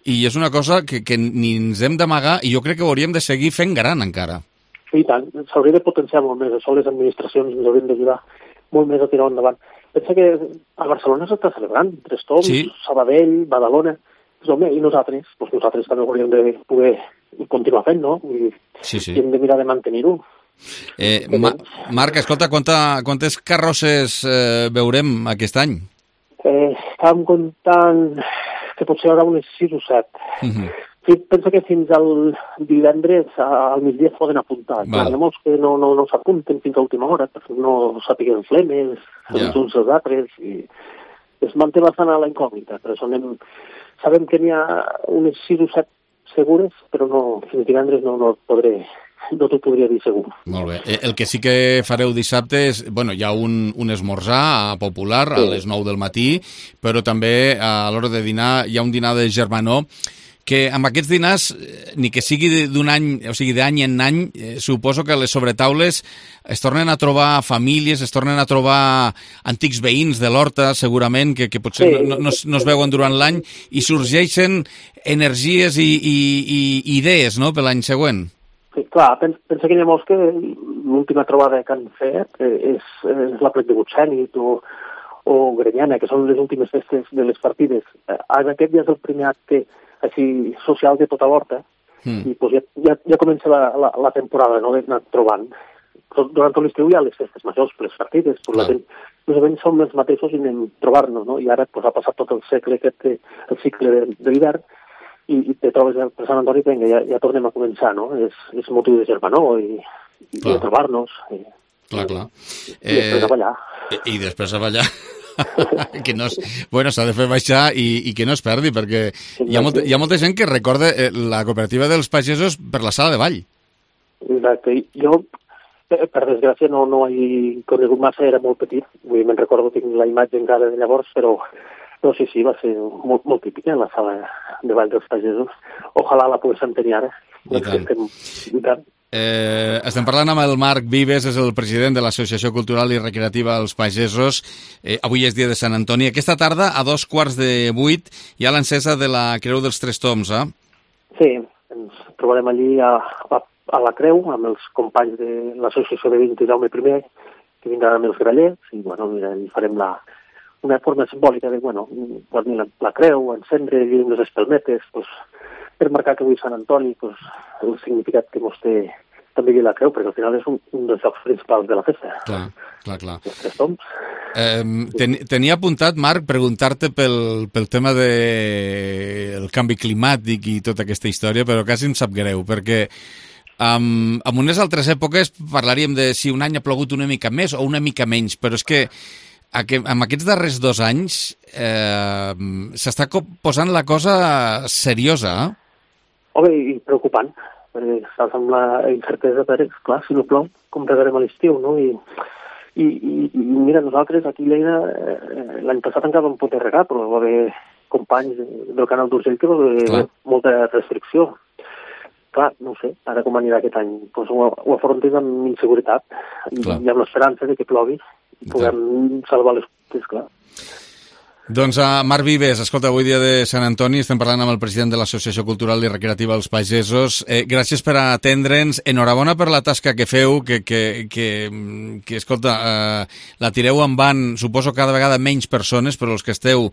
i és una cosa que ni ens hem d'amagar i jo crec que ho hauríem de seguir fent gran encara. I tant, s'hauria de potenciar molt més, això les administracions ens haurien d'ajudar molt més a tirar endavant. Pensa que a Barcelona s'està celebrant, Tres Tombs, Sabadell, Badalona, i nosaltres també hauríem de poder continuar fent, no? I hem de mirar de mantenir-ho. Marc, escolta, quantes carrosses veurem aquest any? Estàvem comptant que potser hi haurà unes 6 o 7. Penso que fins al divendres al migdia es poden apuntar. Hi ha molts que no s'apunten fins a última hora, perquè no sàpiguen flemes, els uns els altres, i es manté bastant a la incògnita. Per això sabem que n'hi ha unes 6 o 7 segures, però fins divendres no t'ho podria dir segur. Molt bé. El que sí que fareu dissabte és, hi ha un esmorzar popular a les 9 del matí, però també a l'hora de dinar hi ha un dinar de germanor, que amb aquests dinars, ni que sigui d'un any, o sigui d'any en any, suposo que les sobretaules es tornen a trobar famílies, es tornen a trobar antics veïns de l'Horta, segurament, que potser no es veuen durant l'any, i sorgeixen energies i idees, no?, per l'any següent. Sí, clar, pensa que hi ha molts que l'última trobada que han fet és la Plec de Butxènit o Grenyana, que són les últimes festes de les partides. Aquest ja és el primer acte així social de tota l'Horta, i ja comença la temporada, no?, d'anar trobant. Durant tot l'estiu hi ha les festes majors, les partides, la gent, més o menys som els mateixos i anem trobar-nos, no?, i ara ha passat tot el cicle de l'hivern, i te trobes per Sant Antoni, ja tornem a començar, no?, és motiu de germanor i de trobar-nos. Clar. I després a ballar. I després a ballar. S'ha de fer baixar i que no es perdi, perquè hi ha molta gent que recorda la cooperativa dels pagesos per la sala de ball. Exacte. Jo, per desgràcia, no he conegut massa, era molt petit. Me'n recordo, tinc la imatge encara de llavors, però sí, va ser molt típica la sala de ball dels pagesos. Ojalà la poguéssim tenir ara. I tant. Estem parlant amb el Marc Vives, és el president de l'Associació Cultural i Recreativa dels Pagesos. Avui és dia de Sant Antoni. Aquesta tarda, a 7:15, hi ha l'encesa de la Creu dels Tres Tombs, eh? Sí, ens trobarem allí a la Creu, amb els companys de l'Associació de Veïns de Jaume I, que vindran amb els grallers, i hi farem una forma simbòlica de, bueno, guarnir la creu, encendre les espelmetes, pues, per marcar que avui Sant Antoni, pues, el significat que mos té també la creu, perquè al final és un dels llocs principals de la festa. Clar. Els Tres Tombs. Tenia apuntat, Marc, preguntar-te pel tema del canvi climàtic i tota aquesta història, però quasi em sap greu, perquè en unes altres èpoques parlaríem de si un any ha plogut una mica més o una mica menys, però és que en aquests darrers 2 anys s'està posant la cosa seriosa. Home, i preocupant, perquè estàs amb la incertesa, però, clar, si no plou, com regarem a l'estiu, no? I mira, nosaltres aquí a Lleida l'any passat encara vam poder regar, però va haver companys del canal d'Urgell que va haver molta restricció. Clar, no sé, ara com anirà aquest any? Pues ho afrontes amb inseguretat i amb l'esperança de que plogui i puguem salvar les coses, clar. Doncs Marc Vives, escolta, avui dia de Sant Antoni, estem parlant amb el president de l'Associació Cultural i Recreativa dels Pagesos. Gràcies per atendre'ns. Enhorabona per la tasca que feu, que escolta, la tireu en van, suposo cada vegada menys persones, però els que esteu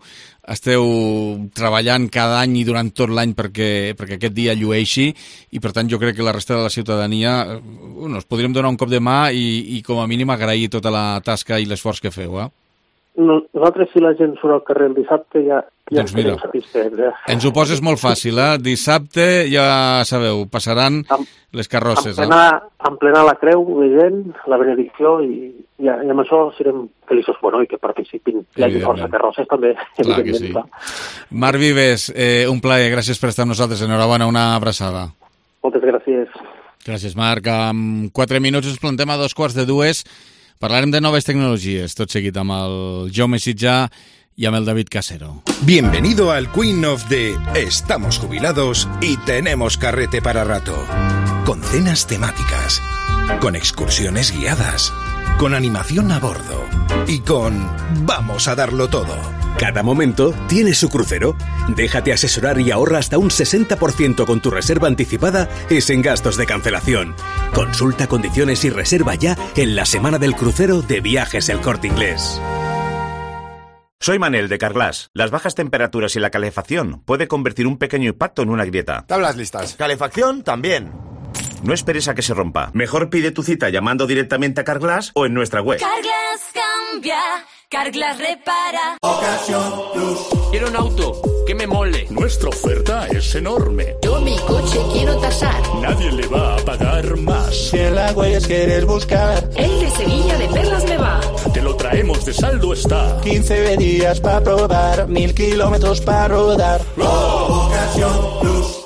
treballant cada any i durant tot l'any perquè aquest dia llueixi, i per tant jo crec que la resta de la ciutadania us podríem donar un cop de mà i com a mínim agrair tota la tasca i l'esforç que feu, Nosaltres, si la gent surt al carrer el dissabte, ja doncs mira, ens ho poses molt fàcil, Dissabte, ja sabeu, passaran les carrosses. Emplenar la creu de gent, la benedicció, i amb això serem feliços, bueno, i que participin. Hi hagi força carrosses també. Clar que sí. Marc Vives, un plaer, gràcies per estar amb nosaltres. Enhorabona, una abraçada. Moltes gràcies. Gràcies, Marc. En 4 minuts ens plantem a 2:45. Parlarem de noves tecnologies, tot seguit amb el Jaume Sitjà y amb el David Casero. Bienvenido al Queen of the Estamos jubilados y tenemos carrete para rato. Con cenas temáticas, con excursiones guiadas, con animación a bordo y con vamos a darlo todo. Cada momento tiene su crucero. Déjate asesorar y ahorra hasta un 60% con tu reserva anticipada y sin gastos de cancelación. Consulta condiciones y reserva ya en la semana del crucero de Viajes El Corte Inglés. Soy Manel de Carglass. Las bajas temperaturas y la calefacción puede convertir un pequeño impacto en una grieta. Tablas listas. Calefacción también. No esperes a que se rompa. Mejor pide tu cita llamando directamente a Carglass o en nuestra web. Carglass cambia, Carglass repara. Ocasión Plus. Quiero un auto que me mole. Nuestra oferta es enorme. Yo mi coche quiero tasar. Nadie le va a pagar más. Si en la Huellas quieres buscar, el de Sevilla de Perlas me va. Te lo traemos de saldo está. 15 días para probar, 1000 kilómetros para rodar. Ocasión Plus.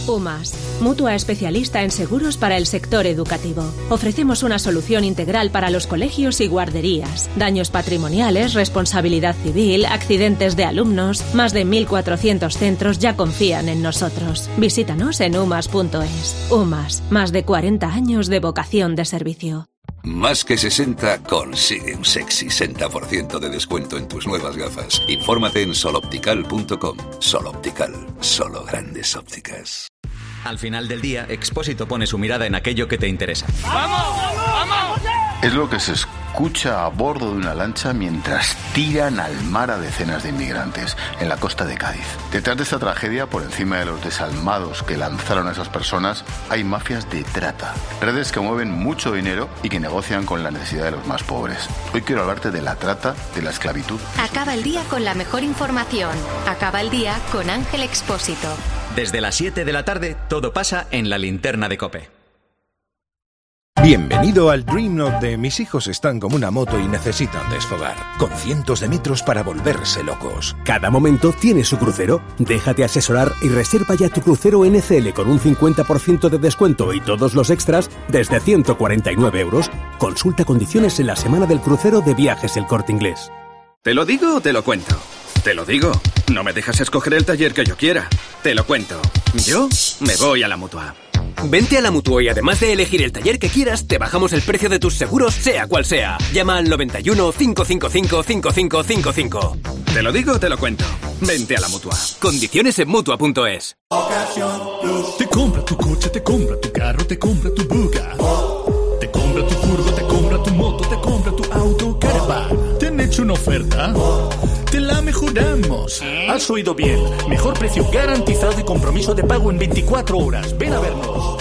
UMAS, mutua especialista en seguros para el sector educativo. Ofrecemos una solución integral para los colegios y guarderías. Daños patrimoniales, responsabilidad civil, accidentes de alumnos. Más de 1.400 centros ya confían en nosotros. Visítanos en umas.es. UMAS, más de 40 años de vocación de servicio. Más que 60 consigue un sexy 60% de descuento en tus nuevas gafas. Infórmate en soloptical.com. Soloptical, solo grandes ópticas. Al final del día, Expósito pone su mirada en aquello que te interesa. ¡Vamos! ¡Vamos! Es lo que se escucha a bordo de una lancha mientras tiran al mar a decenas de inmigrantes en la costa de Cádiz. Detrás de esta tragedia, por encima de los desalmados que lanzaron a esas personas, hay mafias de trata. Redes que mueven mucho dinero y que negocian con la necesidad de los más pobres. Hoy quiero hablarte de la trata, de la esclavitud. Acaba el día con la mejor información. Acaba el día con Ángel Expósito. Desde las 7 de la tarde, todo pasa en la linterna de COPE. Bienvenido al Dream of the Mis hijos están como una moto y necesitan desfogar, con cientos de metros para volverse locos. Cada momento tiene su crucero. Déjate asesorar y reserva ya tu crucero NCL con un 50% de descuento y todos los extras desde 149 €. Consulta condiciones en la semana del crucero de Viajes El Corte Inglés. ¿Te lo digo o te lo cuento? Te lo digo. No me dejas escoger el taller que yo quiera. Te lo cuento. Yo me voy a la Mutua. Vente a la Mutua y además de elegir el taller que quieras, te bajamos el precio de tus seguros, sea cual sea. Llama al 91 555 5555. Te lo digo o te lo cuento. Vente a la Mutua. Condiciones en Mutua.es. Ocasión Plus. Te compra tu coche, te compra tu carro, te compra tu buga. Te compra tu furgo, te compra tu moto, te compra tu auto caravan. ¿Te han hecho una oferta? te la mejoramos. Has oído bien. Mejor precio garantizado y compromiso de pago en 24 horas. Ven a vernos.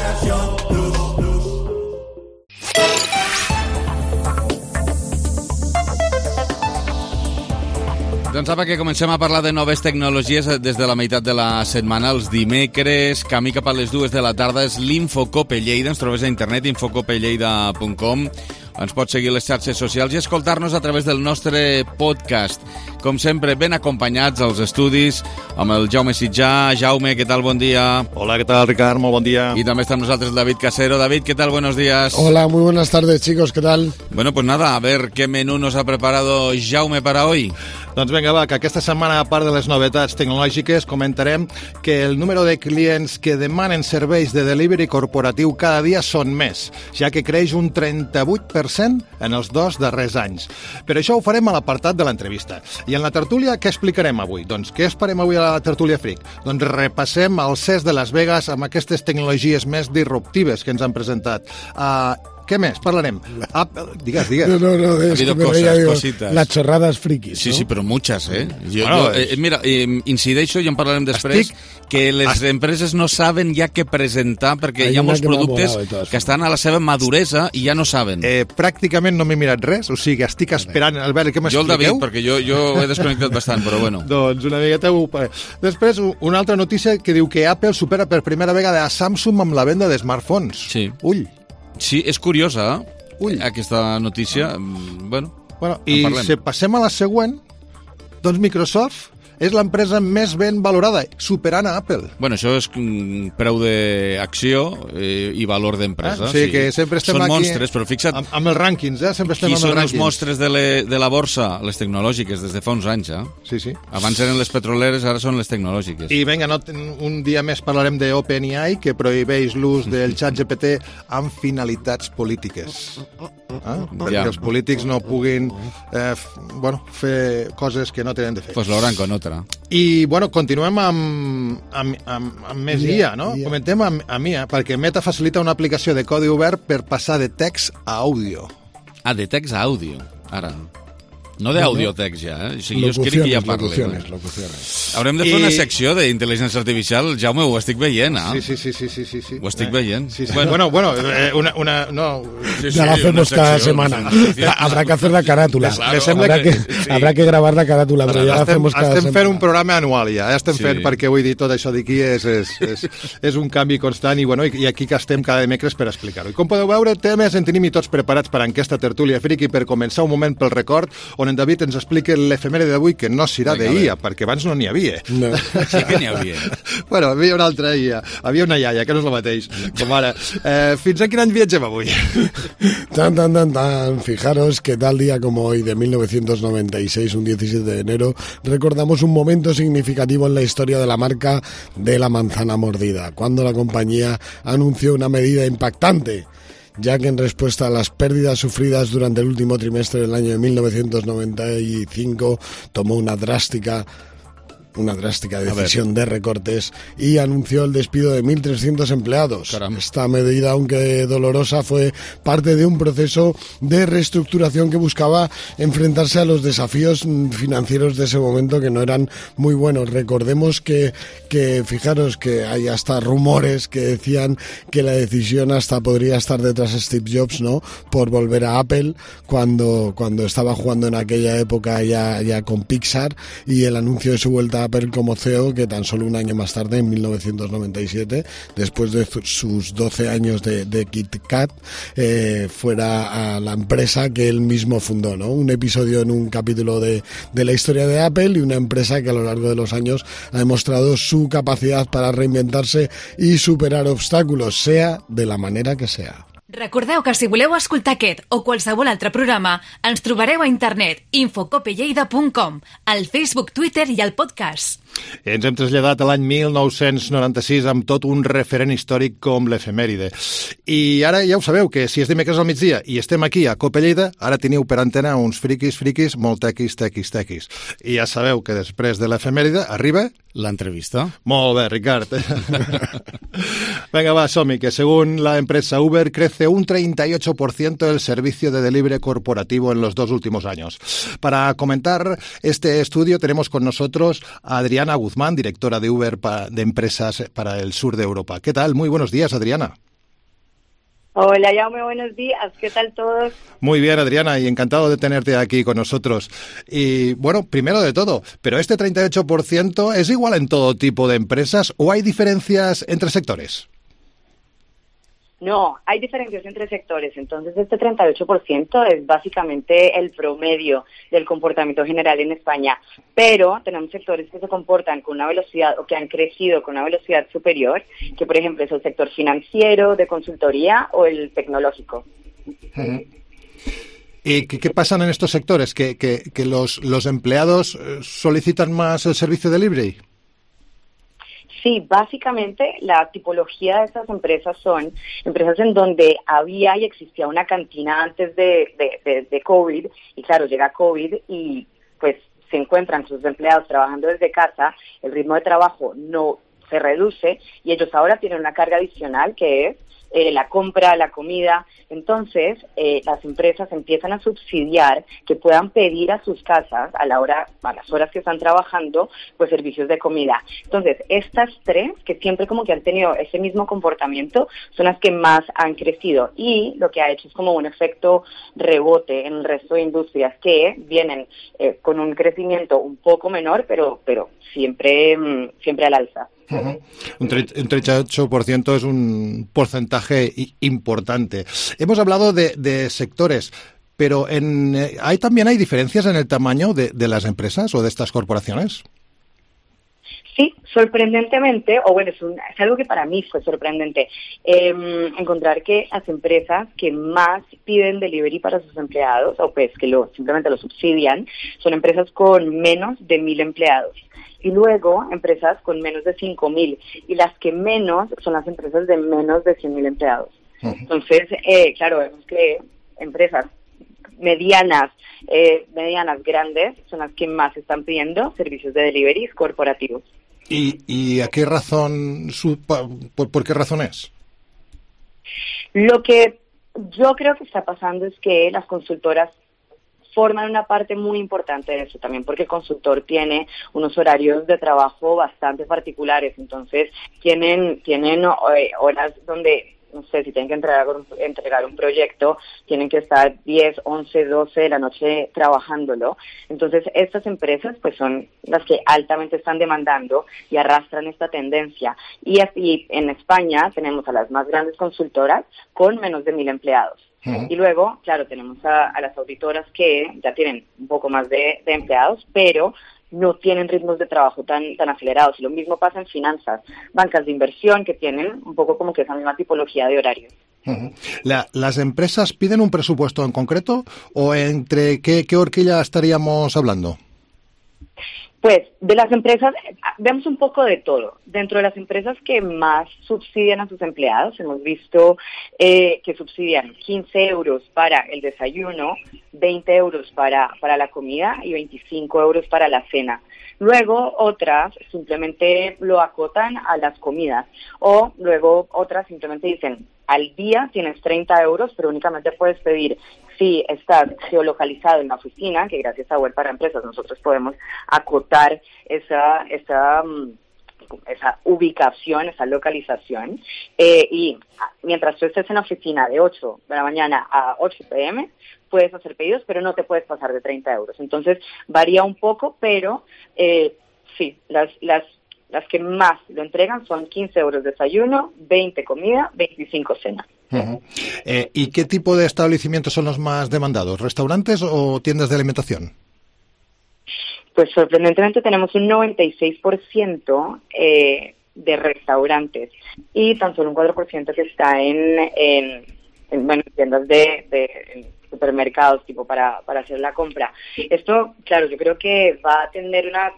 Doncs apa, que comencem a parlar de noves tecnologies des de la meitat de la setmana. Els dimecres, camí cap a les 2 de la tarda, és l'Infocope Lleida. Ens trobes a internet, infocopelleida.com. Ens pots seguir les xarxes socials i escoltar-nos a través del nostre podcast. Com sempre, ben acompanyats als estudis amb el Jaume Sitjà. Jaume, què tal? Bon dia. Hola, ¿qué tal, Ricard? Muy buen día. Y también está con nosotros David Casero. David, ¿qué tal? Buenos días. Hola, muy buenas tardes, chicos. ¿Qué tal? Bueno, pues nada, a ver qué menú nos ha preparado Jaume para hoy. Doncs vinga, va, que aquesta setmana, a part de les novetats tecnològiques, comentarem que el número de clients que demanen serveis de delivery corporatiu cada dia són més, ja que creix un 38% en els 2 darrers anys. Per això ho farem a l'apartat de l'entrevista. I en la tertúlia, què explicarem avui? Doncs què esperem avui a la tertúlia Freak? Doncs repassem el CES de Las Vegas amb aquestes tecnologies més disruptives que ens han presentat. ¿Qué més? Parlarem. Digues. No, es que me veía, digo, las chorradas frikis, Sí, ¿no? sí, però muchas, eh? Bueno, incideixo, i en parlarem després, que les empreses no saben ja què presentar, perquè hi ha molts productes que estan a la seva maduresa i ja no saben. Pràcticament no m'he mirat res, o sigui, estic esperant a veure què m'expliqueu. Jo el David, perquè jo he desconnectat bastant, però bueno. Doncs una miqueta... Després, una altra notícia que diu que Apple supera per primera vegada a Samsung amb la venda de smartphones. Sí. Ull. Sí, és curiosa, aquesta notícia. Bueno, i si passem a la següent, doncs Microsoft és l'empresa més ben valorada, superant a Apple. Bueno, això és preu d'acció i valor d'empresa. Sí, que sempre estem Són aquí... monstres, però fixa't... Amb els rànquings, sempre estem amb els rànquings. Qui són els monstres de la borsa? Les tecnològiques, des de fa uns anys, Sí. Abans eren les petroleres, ara són les tecnològiques. I vinga, un dia més parlarem d'OpenAI, que prohibeix l'ús del ChatGPT amb finalitats polítiques. Perquè els polítics no puguin fer coses que no tenen de fer. Pues l'hauran con otra. I, continuem amb més IA, no? Comentem amb IA, perquè Meta facilita una aplicació de codi obert per passar de text a àudio. De text a àudio, ara. No de audiotext ja, O sigui, jo crec que ja parlo. Locuciones. Haurem de fer una secció d'intel·ligència artificial. Jaume, ho estic veient, Sí. Ho estic veient. Sí. Bueno, ya la hacemos cada semana. Habrá que hacer la carátula. Habrà que gravar la carátula, però ja la hacemos cada semana. Estem fent un programa anual ja estem fent, perquè vull dir, tot això d'aquí és un canvi constant i aquí que estem cada dimecres per explicar-ho. I com podeu veure, temes en tenim i tots preparats per a aquesta tertúlia friki per començar un moment pel record, on en David ens explica l'efemèride d'avui, que no serà d'IA, perquè abans no n'hi havia. No. Sí que n'hi havia. Bueno, havia una altra IA, havia una iaia, que no és el mateix, com ara. Fins a quin any viatgem avui? Tan. Fijaros que tal día como hoy de 1996, un 17 de enero, recordamos un momento significativo en la historia de la marca de la manzana mordida, cuando la compañía anunció una medida impactante, ya que en respuesta a las pérdidas sufridas durante el último trimestre del año de 1995 tomó una drástica decisión de recortes y anunció el despido de 1.300 empleados. Caramba. Esta medida, aunque dolorosa, fue parte de un proceso de reestructuración que buscaba enfrentarse a los desafíos financieros de ese momento, que no eran muy buenos. Recordemos que fijaros que hay hasta rumores que decían que la decisión hasta podría estar detrás de Steve Jobs, ¿no?, por volver a Apple cuando estaba jugando en aquella época ya con Pixar, y el anuncio de su vuelta a Apple como CEO, que tan solo un año más tarde, en 1997, después de sus 12 años de Kit Kat, fuera a la empresa que él mismo fundó, ¿no? Un episodio en un capítulo de la historia de Apple, y una empresa que a lo largo de los años ha demostrado su capacidad para reinventarse y superar obstáculos, sea de la manera que sea. Recordeu que si voleu escoltar aquest o qualsevol altre programa, ens trobareu a internet infocopelleida.com, al Facebook, Twitter i al podcast. Ens hem traslladat a l'any 1996 amb tot un referent històric com l'efemèride. I ara ja ho sabeu, que si és dimecres al migdia i estem aquí a Cope Lleida, ara teniu per antena uns friquis molt tequis. I ja sabeu que després de l'efemèride arriba... l'entrevista. Molt bé, Ricard. Venga, va, som-hi, que según la empresa Uber, crece crece un 38% el servicio de delivery corporativo en los 2 últimos años. Para comentar este estudio tenemos con nosotros a Adriana Guzmán, directora de Uber de Empresas para el sur de Europa. ¿Qué tal? Muy buenos días, Adriana. Hola, Jaume, buenos días. ¿Qué tal todos? Muy bien, Adriana, y encantado de tenerte aquí con nosotros. Y bueno, primero de todo, ¿pero este 38% es igual en todo tipo de empresas o hay diferencias entre sectores? No, hay diferencias entre sectores. Entonces, este 38% es básicamente el promedio del comportamiento general en España. Pero tenemos sectores que se comportan con una velocidad o que han crecido con una velocidad superior, que por ejemplo es el sector financiero, de consultoría o el tecnológico. ¿Y qué pasan en estos sectores? ¿Que los empleados solicitan más el servicio de delivery? Sí, básicamente la tipología de estas empresas son empresas en donde había y existía una cantina antes de COVID, y claro, llega COVID y pues se encuentran sus empleados trabajando desde casa, el ritmo de trabajo no se reduce y ellos ahora tienen una carga adicional que es la compra, la comida. Entonces, las empresas empiezan a subsidiar que puedan pedir a sus casas a las horas que están trabajando, pues servicios de comida. Entonces, estas tres, que siempre como que han tenido ese mismo comportamiento, son las que más han crecido y lo que ha hecho es como un efecto rebote en el resto de industrias que vienen con un crecimiento un poco menor, pero siempre al alza. Un 38% es un porcentaje importante. Hemos hablado de sectores, pero ¿también hay diferencias en el tamaño de las empresas o de estas corporaciones? Sí, sorprendentemente, o bueno, es algo que para mí fue sorprendente, encontrar que las empresas que más piden delivery para sus empleados, o pues que simplemente lo subsidian, son empresas con menos de 1,000 empleados. Y luego empresas con menos de 5,000, y las que menos son las empresas de menos de 100,000 empleados. Entonces, claro, vemos que empresas medianas, grandes, son las que más están pidiendo servicios de delivery corporativos. ¿Y a qué razón, por qué razón es? Lo que yo creo que está pasando es que las consultoras forman una parte muy importante de eso también, porque el consultor tiene unos horarios de trabajo bastante particulares, entonces tienen horas donde, no sé, si tienen que entregar un proyecto, tienen que estar 10, 11, 12 de la noche trabajándolo. Entonces, estas empresas pues son las que altamente están demandando y arrastran esta tendencia. Y así, en España tenemos a las más grandes consultoras con menos de 1,000 empleados. Y luego, claro, tenemos a las auditoras que ya tienen un poco más de empleados, pero no tienen ritmos de trabajo tan acelerados. Y lo mismo pasa en finanzas, bancas de inversión que tienen un poco como que esa misma tipología de horarios. ¿Las empresas piden un presupuesto en concreto o entre qué horquilla estaríamos hablando? Pues de las empresas, vemos un poco de todo. Dentro de las empresas que más subsidian a sus empleados, hemos visto que subsidian 15 euros para el desayuno, 20 euros para la comida y 25 euros para la cena. Luego otras simplemente lo acotan a las comidas, o luego otras simplemente dicen, al día tienes 30 euros, pero únicamente puedes pedir si estás geolocalizado en la oficina, que gracias a Web para Empresas nosotros podemos acotar esa ubicación, esa localización, y mientras tú estés en la oficina de 8 de la mañana a 8 p.m., puedes hacer pedidos, pero no te puedes pasar de 30 euros. Entonces, varía un poco, pero sí, las que más lo entregan son 15 euros desayuno, 20 comida, 25 cena. ¿Y qué tipo de establecimientos son los más demandados? ¿Restaurantes o tiendas de alimentación? Pues sorprendentemente tenemos un 96% de restaurantes y tan solo un 4% que está en tiendas de supermercados, tipo para hacer la compra. Esto, claro, yo creo que va a tener una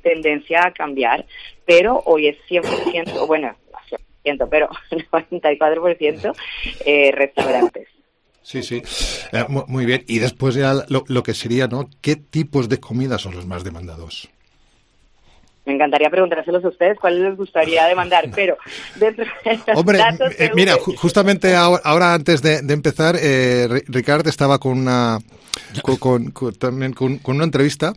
tendencia a cambiar, pero hoy es 100%, bueno, 100%, pero 94% restaurantes. Sí. Muy bien. Y después ya lo que sería, ¿no? ¿Qué tipos de comida son los más demandados? Me encantaría preguntárselos a ustedes cuáles les gustaría demandar, pero dentro de los Hombre, datos de mira, Uber... justamente ahora antes de empezar, Ricard estaba con también con una entrevista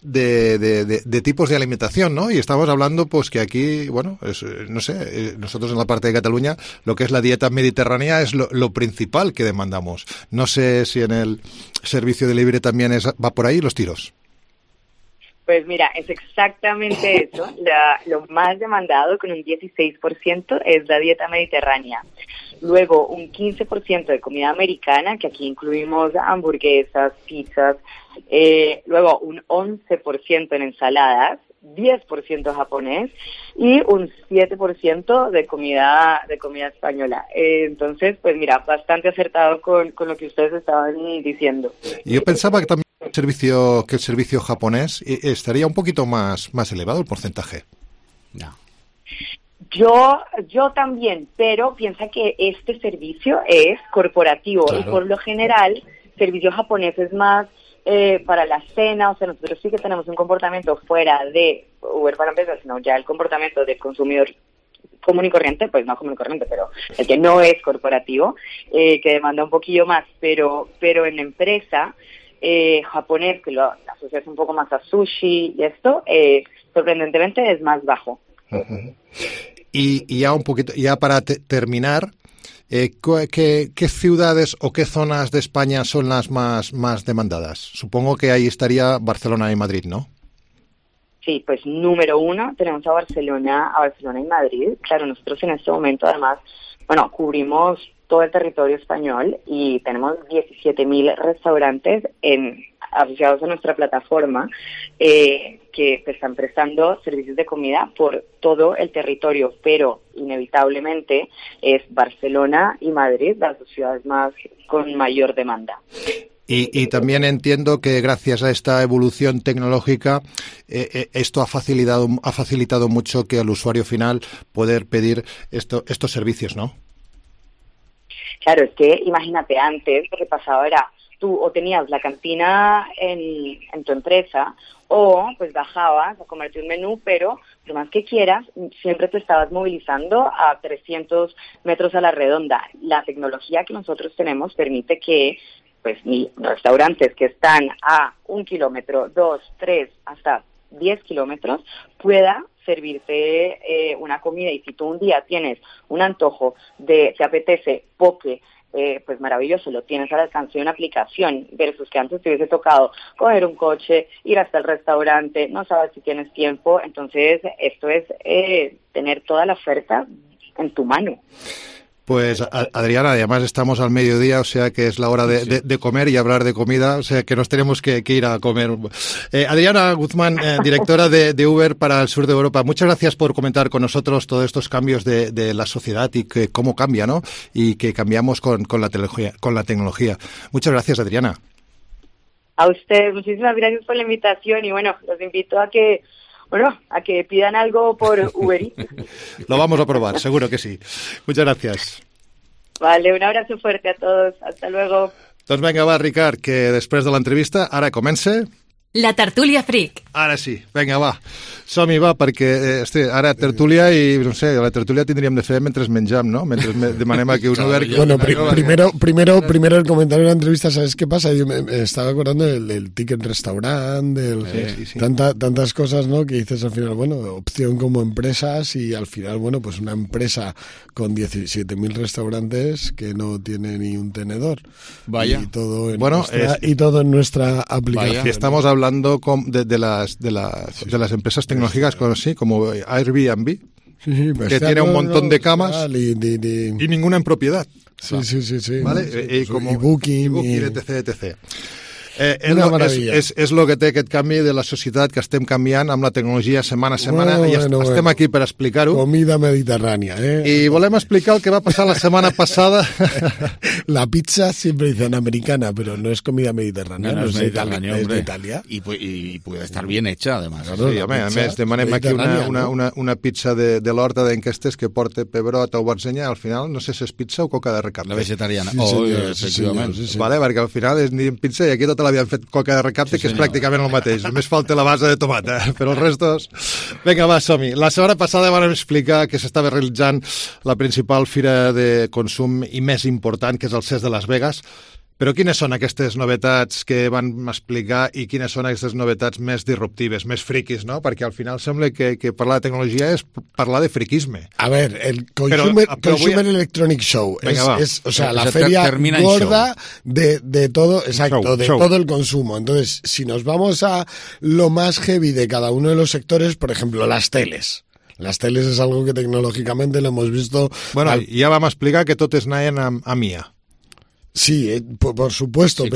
de tipos de alimentación, ¿no? Y estamos hablando, pues, que aquí, bueno, no sé, nosotros en la parte de Cataluña, lo que es la dieta mediterránea es lo principal que demandamos. No sé si en el servicio de delivery también va por ahí los tiros. Pues mira, es exactamente eso. Lo más demandado, con un 16%, es la dieta mediterránea. Luego, un 15% de comida americana, que aquí incluimos hamburguesas, pizzas. Luego, un 11% en ensaladas, 10% japonés y un 7% de comida española. Entonces, pues mira, bastante acertado con lo que ustedes estaban diciendo. Yo pensaba que también el servicio japonés estaría un poquito más elevado el porcentaje. No. Yo también, pero piensa que este servicio es corporativo, claro. Y por lo general, servicio japonés es más para la cena. O sea, nosotros sí que tenemos un comportamiento fuera de Uber para empresas, sino ya el comportamiento del consumidor común y corriente, pues no común y corriente, pero el que no es corporativo, que demanda un poquillo más, pero en empresa japonés, que lo asocias un poco más a sushi y esto, sorprendentemente es más bajo. Uh-huh. Y ya un poquito, ya para terminar, ¿qué ciudades o qué zonas de España son las más demandadas? Supongo que ahí estaría Barcelona y Madrid, ¿no? Sí, pues número 1 tenemos a Barcelona y Madrid. Claro, nosotros en este momento además, cubrimos todo el territorio español y tenemos 17.000 restaurantes asociados a nuestra plataforma que están prestando servicios de comida por todo el territorio, pero inevitablemente es Barcelona y Madrid las dos ciudades con mayor demanda. Y también entiendo que gracias a esta evolución tecnológica esto ha facilitado mucho que al usuario final poder pedir estos servicios, ¿no? Claro, es que imagínate, antes lo que pasaba era tú o tenías la cantina en tu empresa o pues bajabas a comerte un menú, pero lo más que quieras, siempre te estabas movilizando a 300 metros a la redonda. La tecnología que nosotros tenemos permite que pues restaurantes que están a 1 kilómetro, 2, 3, hasta 10 kilómetros pueda servirte una comida. Y si tú un día tienes un antojo te apetece poke, pues maravilloso, lo tienes al alcance de una aplicación, versus que antes te hubiese tocado coger un coche, ir hasta el restaurante, no sabes si tienes tiempo. Entonces esto es tener toda la oferta en tu mano. Pues Adriana, además estamos al mediodía, o sea que es la hora de comer y hablar de comida, o sea que nos tenemos que ir a comer. Adriana Guzmán, directora de Uber para el sur de Europa, muchas gracias por comentar con nosotros todos estos cambios de la sociedad y que cómo cambia, ¿no? Y que cambiamos con la tecnología. Muchas gracias, Adriana. A ustedes, muchísimas gracias por la invitación y los invito a que pidan algo por Uber Eats. Lo vamos a probar, seguro que sí. Muchas gracias. Vale, un abrazo fuerte a todos. Hasta luego. Doncs vinga, va, Ricard, que després de l'entrevista ara comença... La tertúlia freak. Ara sí, vinga, va. Som-hi, va, perquè ara tertúlia i, no sé, la tertúlia tindríem de fer mentre mengem, ¿no? Mentre demanem aquí un Uber... Bueno, primero el comentario de la entrevista, ¿sabes qué pasa? Yo me estaba acordando del ticket restaurant, sí. Tantas cosas, ¿no? Que dices al final, opción como empresas y al final, pues una empresa con 17.000 restaurantes que no tiene ni un tenedor. Vaya. Y todo en nuestra aplicación. Vaya. Estamos hablando de las empresas tecnológicas como Airbnb, que tiene un montón de camas y ninguna en propiedad. Sí. ¿Vale? Y Booking, etc. És el que té aquest canvi de la societat, que estem canviant amb la tecnologia setmana a setmana i estem aquí per explicar-ho. Comida mediterránea, I volem explicar el que va passar la setmana passada. La pizza siempre dicen americana, pero no es comida mediterránea, no es mediterránea, es de Italia. Y puede estar bien hecha, además. Sí, a més, demanem aquí una pizza de l'horta d'enquestes que porta pebrot o barzenya, al final no sé si és pizza o coca de recapte. La vegetariana. Sí, efectivament. Vale, perquè al final és ni pizza i aquí tota l'havien fet coca de recapte, que és pràcticament el mateix. Només falta la base de tomata, però els restos... Vinga, va, som-hi. La setmana passada vam explicar que s'estava realitzant la principal fira de consum i més important, que és el CES de Las Vegas. Però quines són aquestes novetats que van explicar i quines són aquestes novetats més disruptives, més friquis, no? Perquè al final sembla que parlar de tecnologia és parlar de friquisme. A ver, el Consumer Electronic Show es o sea, la feria gorda de todo, exacto, show. Todo el consumo. Entonces, si nos vamos a lo más heavy de cada uno de los sectores, por ejemplo, las teles. Las teles es algo que tecnológicamente lo hemos visto... Bueno, ya vamos a explicar que totes anaven a MIA. Sí, por supuesto, sí,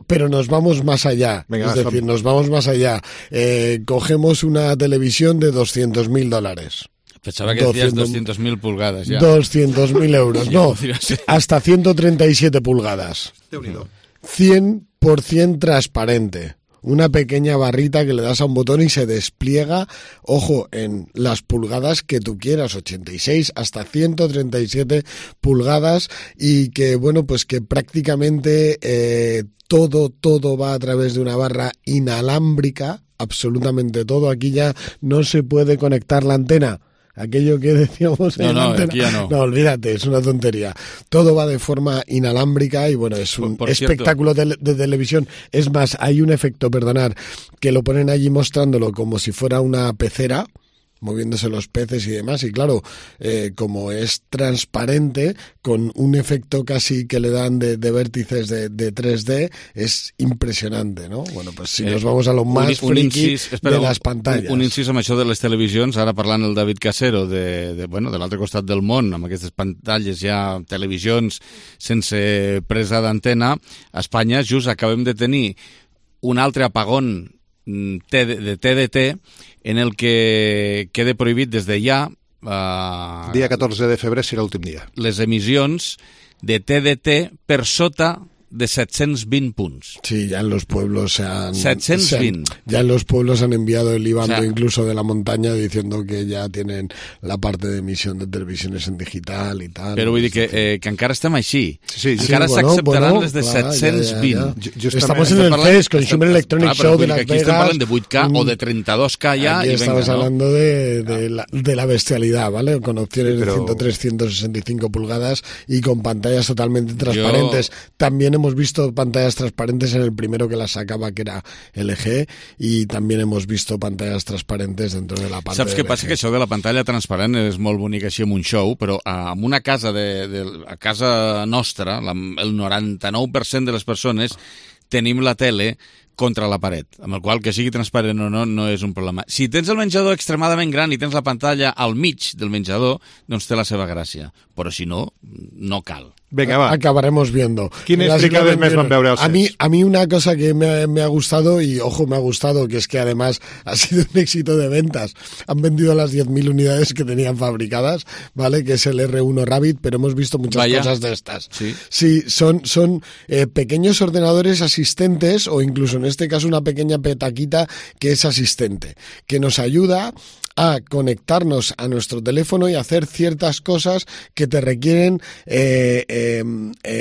pero nos vamos más allá. Venga, es decir, nos vamos más allá. Cogemos una televisión de $200,000. Pensaba que decías 200.000 pulgadas ya. 200.000 euros, no, hasta 137 pulgadas. 100% transparente. Una pequeña barrita que le das a un botón y se despliega, ojo, en las pulgadas que tú quieras, 86 hasta 137 pulgadas, y que, bueno, pues que prácticamente todo va a través de una barra inalámbrica, absolutamente todo. Aquí ya no se puede conectar la antena. Aquello que decíamos en la antena. Aquí ya no, olvídate, es una tontería. Todo va de forma inalámbrica y bueno, es un espectáculo de televisión. Es más, hay un efecto, que lo ponen allí mostrándolo como si fuera una pecera, moviéndose los peces y demás, y claro, como es transparente, con un efecto casi que le dan de vértices de 3D, es impressionante, ¿no? Bueno, pues si nos vamos a lo más friki de las pantalles. Un incís amb això de les televisions, ara parlant el David Casero de l'altre costat del món, amb aquestes pantalles ja, televisions sense presa d'antena, a Espanya just acabem de tenir un altre apagón de TDT en el que queda prohibit des de ja... dia 14 de febrer serà l'últim dia. Les emissions de TDT per sota de 720 puntos. Sí, ya en los pueblos se han... 720. Ya en los pueblos han enviado el IBANDO, o sea, incluso de la montaña, diciendo que ya tienen la parte de emisión de televisiones en digital y tal. Però vull dir que encara estem així. Sí, encara s'acceptaran les de 720. Estamos en el CES, Consumer Electronic Show de Las Vegas. Aquí estem parlant de 8K o de 32K ya. Aquí estamos hablando de la bestialidad, ¿vale? Con opciones de 103, 165 pulgadas y con pantallas totalmente transparentes. También hemos visto pantallas transparentes en el primero que las sacaba, que era LG, y también hemos visto pantallas transparentes dentro de la parte Saps què passa? Que això de la pantalla transparent és molt bonic així amb un show, però en una casa, a casa nostra, el 99% de les persones tenim la tele contra la paret, amb el qual que sigui transparent o no és un problema. Si tens el menjador extremadament gran i tens la pantalla al mig del menjador, doncs té la seva gràcia, però si no, no cal. Venga, va. Acabaremos viendo. ¿Quiénes fricades més van veure el CES? A mí una cosa que me ha gustado, y ojo, me ha gustado, que es que además ha sido un éxito de ventas. Han vendido las 10.000 unidades que tenían fabricadas, ¿vale? Que es el R1 Rabbit, pero hemos visto muchas cosas de estas. Sí, son pequeños ordenadores asistentes, o incluso en este caso una pequeña petaquita que es asistente, que nos ayuda a conectarnos a nuestro teléfono y hacer ciertas cosas que te requieren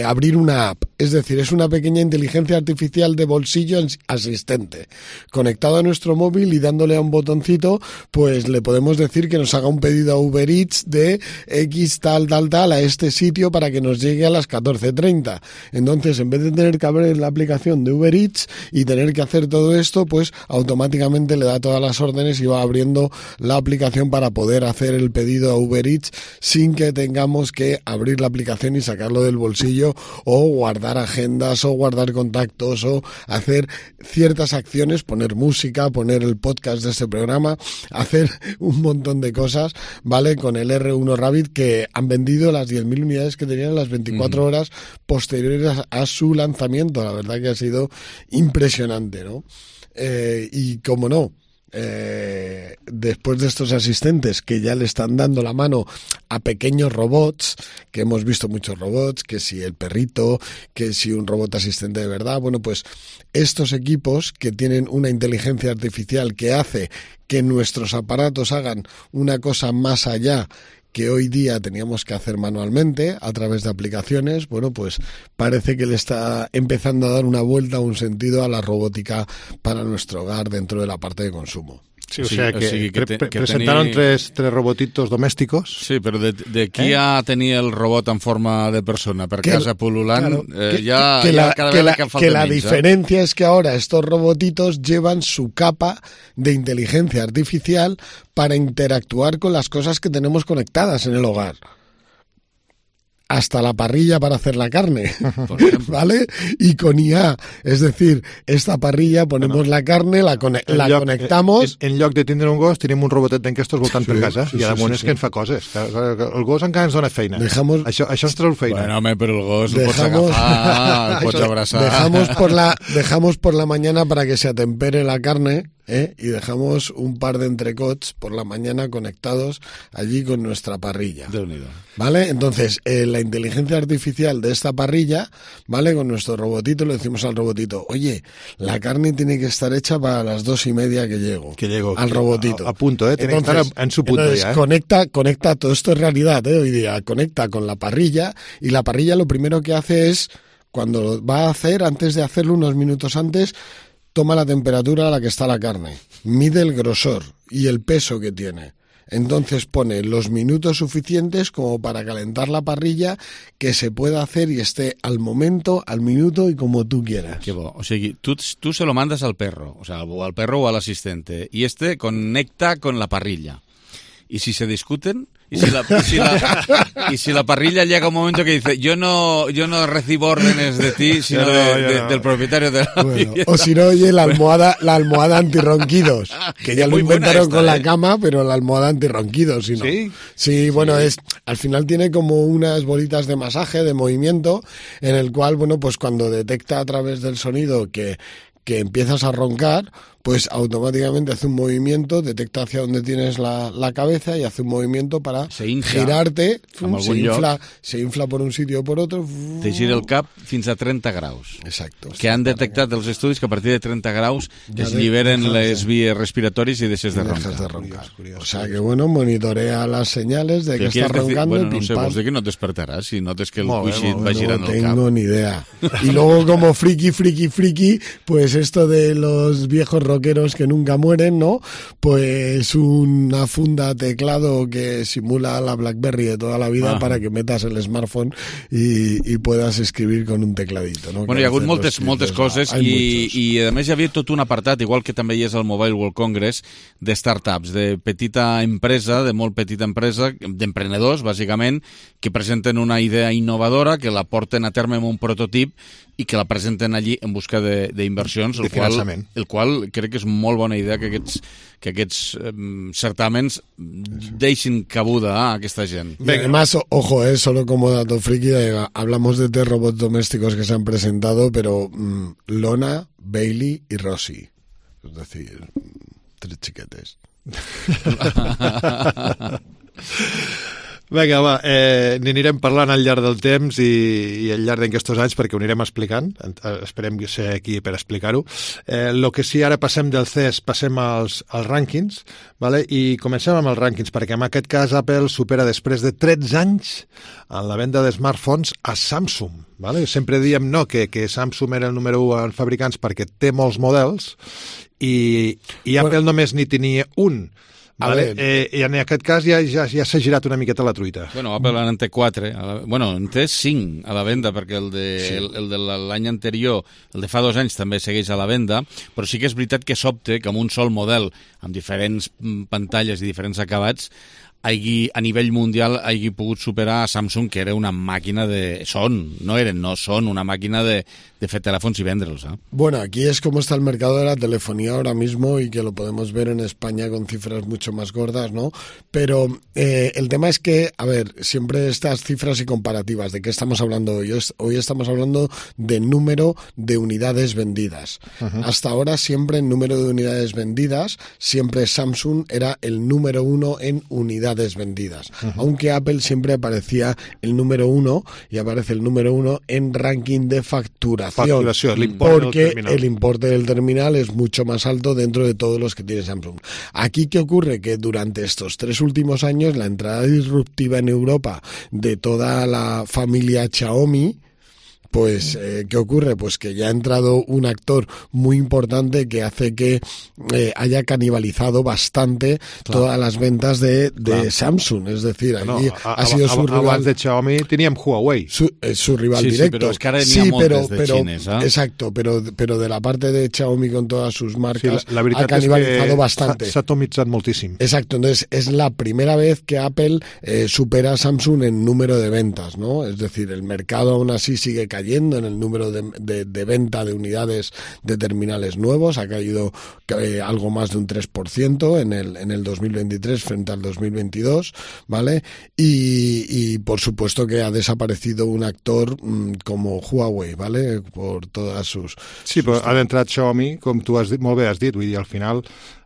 abrir una app. Es decir, es una pequeña inteligencia artificial de bolsillo asistente. Conectado a nuestro móvil y dándole a un botoncito, pues le podemos decir que nos haga un pedido a Uber Eats de X tal a este sitio para que nos llegue a las 14:30. Entonces, en vez de tener que abrir la aplicación de Uber Eats y tener que hacer todo esto, pues automáticamente le da todas las órdenes y va abriendo la aplicación para poder hacer el pedido a Uber Eats sin que tengamos que abrir la aplicación y sacarlo del bolsillo, o guardar agendas, o guardar contactos, o hacer ciertas acciones, poner música, poner el podcast de este programa, hacer un montón de cosas, ¿vale? Con el R1 Rabbit, que han vendido las 10.000 unidades que tenían en las 24 horas posteriores a su lanzamiento. La verdad que ha sido impresionante, ¿no? Y como no, después de estos asistentes que ya le están dando la mano a pequeños robots, que hemos visto muchos robots, que si el perrito, que si un robot asistente de verdad, bueno, pues estos equipos que tienen una inteligencia artificial que hace que nuestros aparatos hagan una cosa más allá que hoy día teníamos que hacer manualmente a través de aplicaciones, bueno, pues parece que le está empezando a dar una vuelta, un sentido a la robótica para nuestro hogar dentro de la parte de consumo. Sí, o sea que presentaron tres robotitos domésticos. Sí, però d'aquí a tenir el robot en forma de persona per casa pululant, que la diferencia es que ahora estos robotitos llevan su capa de inteligencia artificial para interactuar con las cosas que tenemos conectadas en el hogar. Hasta la parrilla para hacer la carne, ¿vale? Y con IA, es decir, esta parrilla ponemos la carne, la conectamos... En lloc de tindre un gos, tenim un robotet d'aquestos voltant per casa, i ara és que en fa coses. El gos encara ens dona feina. Això ens treu feina. Bueno, home, però el gos el pots agafar, el pots abraçar. Dejamos por la mañana para que se atempere la carne, y dejamos un par de entrecots por la mañana conectados allí con nuestra parrilla. ¿Vale? Entonces, la inteligencia artificial de esta parrilla, ¿vale? Con nuestro robotito le decimos al robotito, oye, la carne tiene que estar hecha para las 2:30 que llego. Al robotito. A punto, tiene entonces, que estar en su punto ya. Conecta, todo esto es realidad, hoy día, conecta con la parrilla, y la parrilla lo primero que hace es, cuando lo va a hacer, antes de hacerlo unos minutos antes, toma la temperatura a la que está la carne, mide el grosor y el peso que tiene. Entonces pone los minutos suficientes como para calentar la parrilla, que se pueda hacer y esté al momento, al minuto y como tú quieras. Qué bo. O sigui, tú se lo mandas al perro, o sea, al perro o al asistente, y este conecta con la parrilla. Y si se discuten, y si la parrilla llega un momento que dice yo no recibo órdenes de ti, sino del propietario de la vivienda. O si no, oye, la almohada antirronquidos, que ya lo inventaron con la cama, pero la almohada antirronquidos, si no. Sí, bueno, al final tiene como unas bolitas de masaje, de movimiento, en el cual, bueno, pues cuando detecta a través del sonido que empiezas a roncar, pues automáticamente hace un movimiento, detecta hacia dónde tienes la cabeza y hace un movimiento para girarte, se infla por un sitio o por otro. Te gira el cap fins a 30 graus. Exacto. Que han detectat els estudis que a partir de 30 graus es lliberen les vies respiratòries i deixes de roncar. O sea que, bueno, monitorea las señales de que está roncando. Bueno, no sé, vols dir que no et despertaràs si notes que el cuixit va girant el cap. No tengo ni idea. Y luego, como friki, pues esto de los viejos rockeros que nunca mueren, ¿no? Pues una funda teclado que simula la BlackBerry de toda la vida para que metas el smartphone y puedas escribir con un tecladito, ¿no? Bueno, hi ha hagut moltes coses i a més hi havia tot un apartat, igual que també hi és al Mobile World Congress, de startups, de petita empresa, de molt petita empresa, d'emprenedors, bàsicament, que presenten una idea innovadora, que la porten a terme amb un prototip i que la presenten allí en busca d'inversions, el qual crec que és molt bona idea que aquests certàmens deixin cabuda a aquesta gent. Y además, ojo, solo como dato friki, hablamos de 3 robots domésticos que se han presentado, pero Lona, Bailey y Rosie. Es decir, 3 chiquetes. Vinga, va, n'anirem parlant al llarg del temps i al llarg d'aquests anys perquè ho anirem explicant, esperem ser aquí per explicar-ho. El que sí, ara passem del CES, passem als rànquings, vale? I comencem amb els rànquings, perquè en aquest cas Apple supera després de 13 anys en la venda de smartphones a Samsung. Vale? Sempre diem que Samsung era el número 1 en fabricants perquè té molts models i Apple només n'hi tenia un. Vale. I en aquest cas ja s'ha girat una miqueta la truita. Bueno, Apple en té 4, en té 5 a la venda, perquè el de l'any anterior, el de fa 2 anys, també segueix a la venda, però sí que és veritat que sobte que amb un sol model, amb diferents pantalles i diferents acabats, a nivell mundial hagi pogut superar a Samsung, que era una màquina son una máquina de fer telèfons y vendre'ls. Bueno, aquí es como está el mercado de la telefonía ahora mismo y que lo podemos ver en España con cifras mucho más gordas, ¿no? Pero el tema es que, a ver, siempre estas cifras y comparativas, ¿de qué estamos hablando hoy? Hoy estamos hablando de número de unidades vendidas. Hasta ahora siempre en número de unidades vendidas, siempre Samsung era el número 1 en unidades vendidas. Aunque Apple siempre aparecía el número 1 y aparece el número 1 en ranking de facturación. facturación, porque el importe del terminal es mucho más alto dentro de todos los que tiene Samsung. Aquí, ¿qué ocurre? Que durante estos 3 últimos años la entrada disruptiva en Europa de toda la familia Xiaomi, pues, ¿qué ocurre? Pues que ya ha entrado un actor muy importante que hace que haya canibalizado bastante todas las ventas de Samsung. Es decir, allí ha sido su rival. Abans de Xiaomi teníem Huawei. Su rival directo. Sí, però és que ara n'hi ha moltes de xines. Exacto, pero de la parte de Xiaomi con todas sus marcas ha canibalizado bastante. S'ha atomitzat moltíssim. Exacto, entonces es la primera vez que Apple supera a Samsung en número de ventas, ¿no? Es decir, el mercado aún así sigue cayendo en el número de venta de unidades de terminales nuevos, ha caído algo más de un 3% en el 2023 frente al 2022, ¿vale? Y por supuesto que ha desaparecido un actor como Huawei, ¿vale? Por todas sus... Sí, però ha d'entrar Xiaomi, com tu molt bé has dit, vull dir, al final...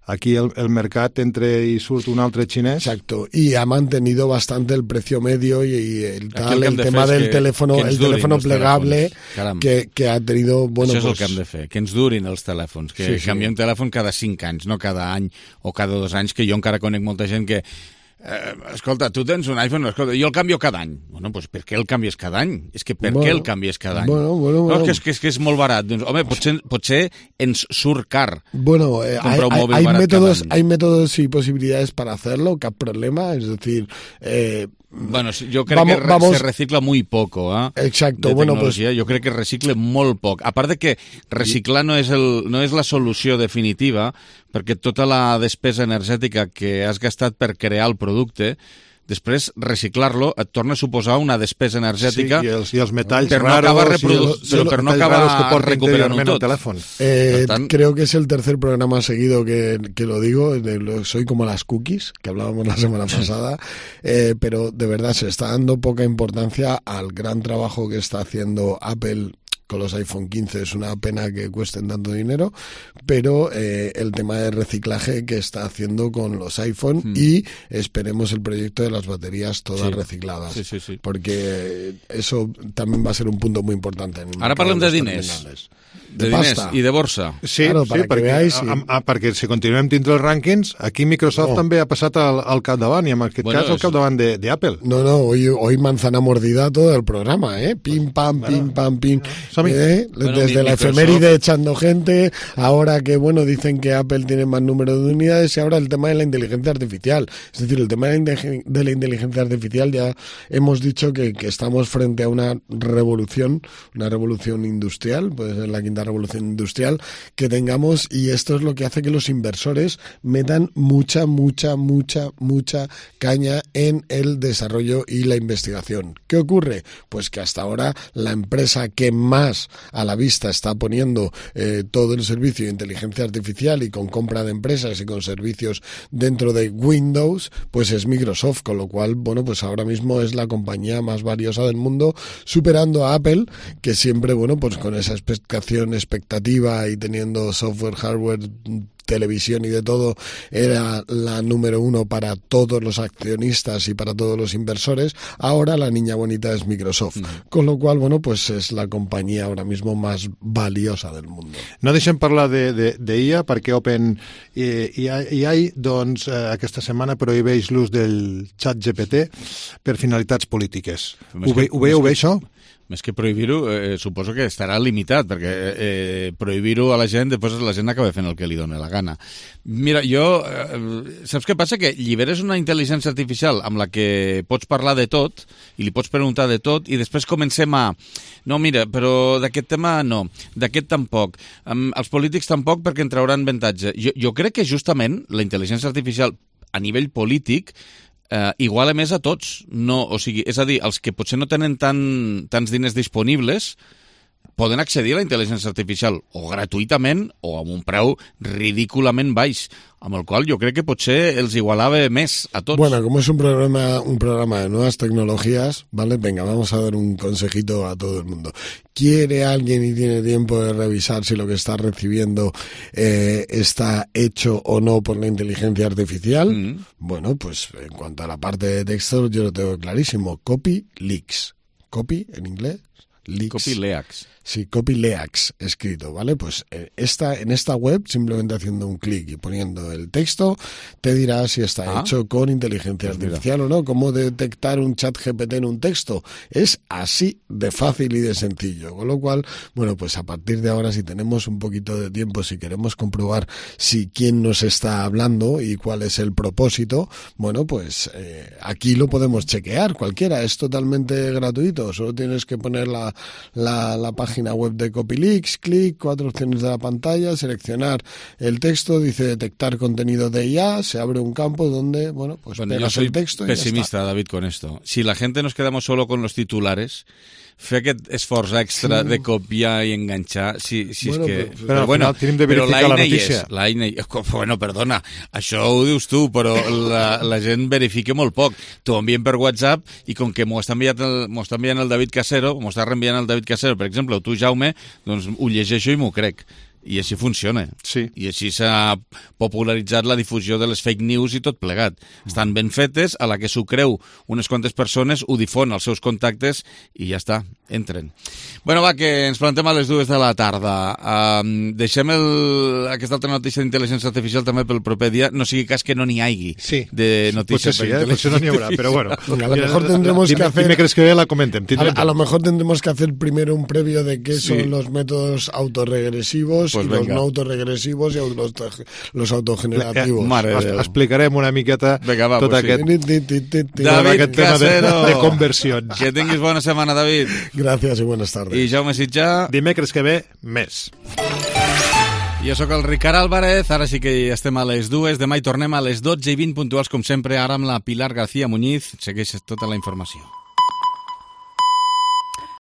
Aquí el mercat entre y surt un altre xinès. Exacto, y ha mantenido bastante el precio medio y el tema del teléfono plegable que ha tenido... Bueno, això és el que hem de fer, que ens durin els telèfons, que canviem telèfon cada 5 anys, no cada any o cada 2 anys, que jo encara conec molta gent que escolta, tu tens un iPhone, escolta, jo el canvio cada any. Bueno, pues per què el canvies cada any? És que per què el canvies cada any? Bueno. No, és que és molt barat. Doncs, home, potser ens surt car. Bueno, hay métodos y posibilidades para hacerlo, cap problema, es decir... Bueno, yo creo que se recicla muy poco, ¿eh? Exacto, bueno, pues yo creo que recicle molt poc. A part de que reciclar no és la solució definitiva, perquè tota la despesa energètica que has gastat per crear el producte, després reciclar-lo et torna a suposar una despesa energètica i els metalls raros per no acabar recuperant-ho tot. Creo que es el tercer programa seguido que lo digo, soy como las cookies, que hablábamos la semana pasada, pero de verdad se está dando poca importancia al gran trabajo que está haciendo Apple con los iPhone 15. Es una pena que cuesten tanto dinero, pero el tema de reciclaje que está haciendo con los iPhone y esperemos el proyecto de las baterías todas recicladas, porque eso también va a ser un punto muy importante. Ahora parlem de diners. De diners i de borsa. Sí, claro, perquè si continuem dintre els rànquings, aquí Microsoft també ha passat al capdavant, i en aquest cas al capdavant d'Apple. No, hoy manzana mordida todo el programa, pim, pam, pim, pam, pim. Desde la efeméride echando gente, ahora que, dicen que Apple tiene más número de unidades, y ahora el tema de la inteligencia artificial. Es decir, el tema de la inteligencia artificial, ya hemos dicho que estamos frente a una revolución industrial, puede ser la quinta revolución industrial que tengamos, y esto es lo que hace que los inversores metan mucha caña en el desarrollo y la investigación. ¿Qué ocurre? Pues que hasta ahora la empresa que más a la vista está poniendo todo el servicio de inteligencia artificial y con compra de empresas y con servicios dentro de Windows, pues es Microsoft, con lo cual, pues ahora mismo es la compañía más valiosa del mundo, superando a Apple, que siempre, pues con esa expectativa y teniendo software, hardware, televisión y de todo, era la número 1 para todos los accionistas y para todos los inversores. Ahora la niña bonita es Microsoft, con lo cual, pues es la compañía ahora mismo más valiosa del mundo. No deixem parlar d'IA, perquè OpenAI, aquesta setmana prohibeix l'ús del xat GPT per finalitats polítiques. Ho veieu bé, això? Més que prohibir-ho, suposo que estarà limitat, perquè prohibir-ho a la gent, després la gent acaba fent el que li dona la gana. Mira, saps què passa? Que lliberes una intel·ligència artificial amb la que pots parlar de tot, i li pots preguntar de tot, i després comencem a... No, mira, però d'aquest tema no, d'aquest tampoc. Els polítics tampoc, perquè en trauran avantatge. Jo crec que justament la intel·ligència artificial a nivell polític iguala més a tots. No, o sigui, és a dir, els que potser no tenen tants diners disponibles poden accedir a la intel·ligència artificial o gratuïtament o amb un preu ridículament baix, amb el qual jo crec que potser els igualava més a tots. Bueno, como es un programa de nuevas tecnologías, ¿vale? Venga, vamos a dar un consejito a todo el mundo. ¿Quiere alguien y tiene tiempo de revisar si lo que está recibiendo está hecho o no por la inteligencia artificial? Bueno, pues en cuanto a la parte de texto, yo lo tengo clarísimo. Copy leaks. Copy en inglés. Leaks. Copy leaks. Sí, Copyleaks escrito, ¿vale? Pues en esta web, simplemente haciendo un clic y poniendo el texto, te dirá si está hecho con inteligencia artificial o no. Cómo detectar un chat GPT en un texto. Es así de fácil y de sencillo. Con lo cual, bueno, pues a partir de ahora, si tenemos un poquito de tiempo, si queremos comprobar quién nos está hablando y cuál es el propósito, bueno, pues aquí lo podemos chequear. Cualquiera, es totalmente gratuito. Solo tienes que poner la página web de Copyleaks, clic, 4 opciones de la pantalla, seleccionar el texto, dice detectar contenido de IA, se abre un campo donde, bueno, pues pegas el texto y pesimista, ya está. David, con esto. Si la gente nos quedamos solo con los titulares, fer aquest esforç extra de copiar i enganxar, bueno, però bueno, tenim de verificar la notícia. Bueno, perdona, això ho dius tu, però la gent verifica molt poc. T'ho envien per WhatsApp i com que m'ho està enviant el David Casero, m'ho està reenviant el David Casero, per exemple, o tu, Jaume, doncs ho llegeixo i m'ho crec. I així funciona. Sí. I així s'ha popularitzat la difusió de les fake news i tot plegat. Estan ben fetes, a la que s'ho creu unes quantes persones, ho difon als seus contactes i ja està, entren. Bueno, va, que ens plantem a les 2 de la tarda. Deixem aquesta altra notícia d'intel·ligència artificial també pel proper dia, no sigui cas que no n'hi hagi de notícies per potser no n'hi haurà, però bueno. A lo mejor tendremos que hacer... Dimecres que ve la comentem. A lo mejor tendremos que hacer primero un previo de qué son los métodos autorregresivos pues y venga. Los no autorregresivos y los autogenerativos. Explicarem una miqueta tot aquest tema de conversions. Que tinguis bona setmana, David. Gracias y buenas tardes. I Jaume Sitjà. Dimecres que ve, més. Jo sóc el Ricard Álvarez, ara sí que estem a les 2, demà hi tornem a les 12:20 puntuals com sempre, ara amb la Pilar García Muñiz. Segueix tota la informació.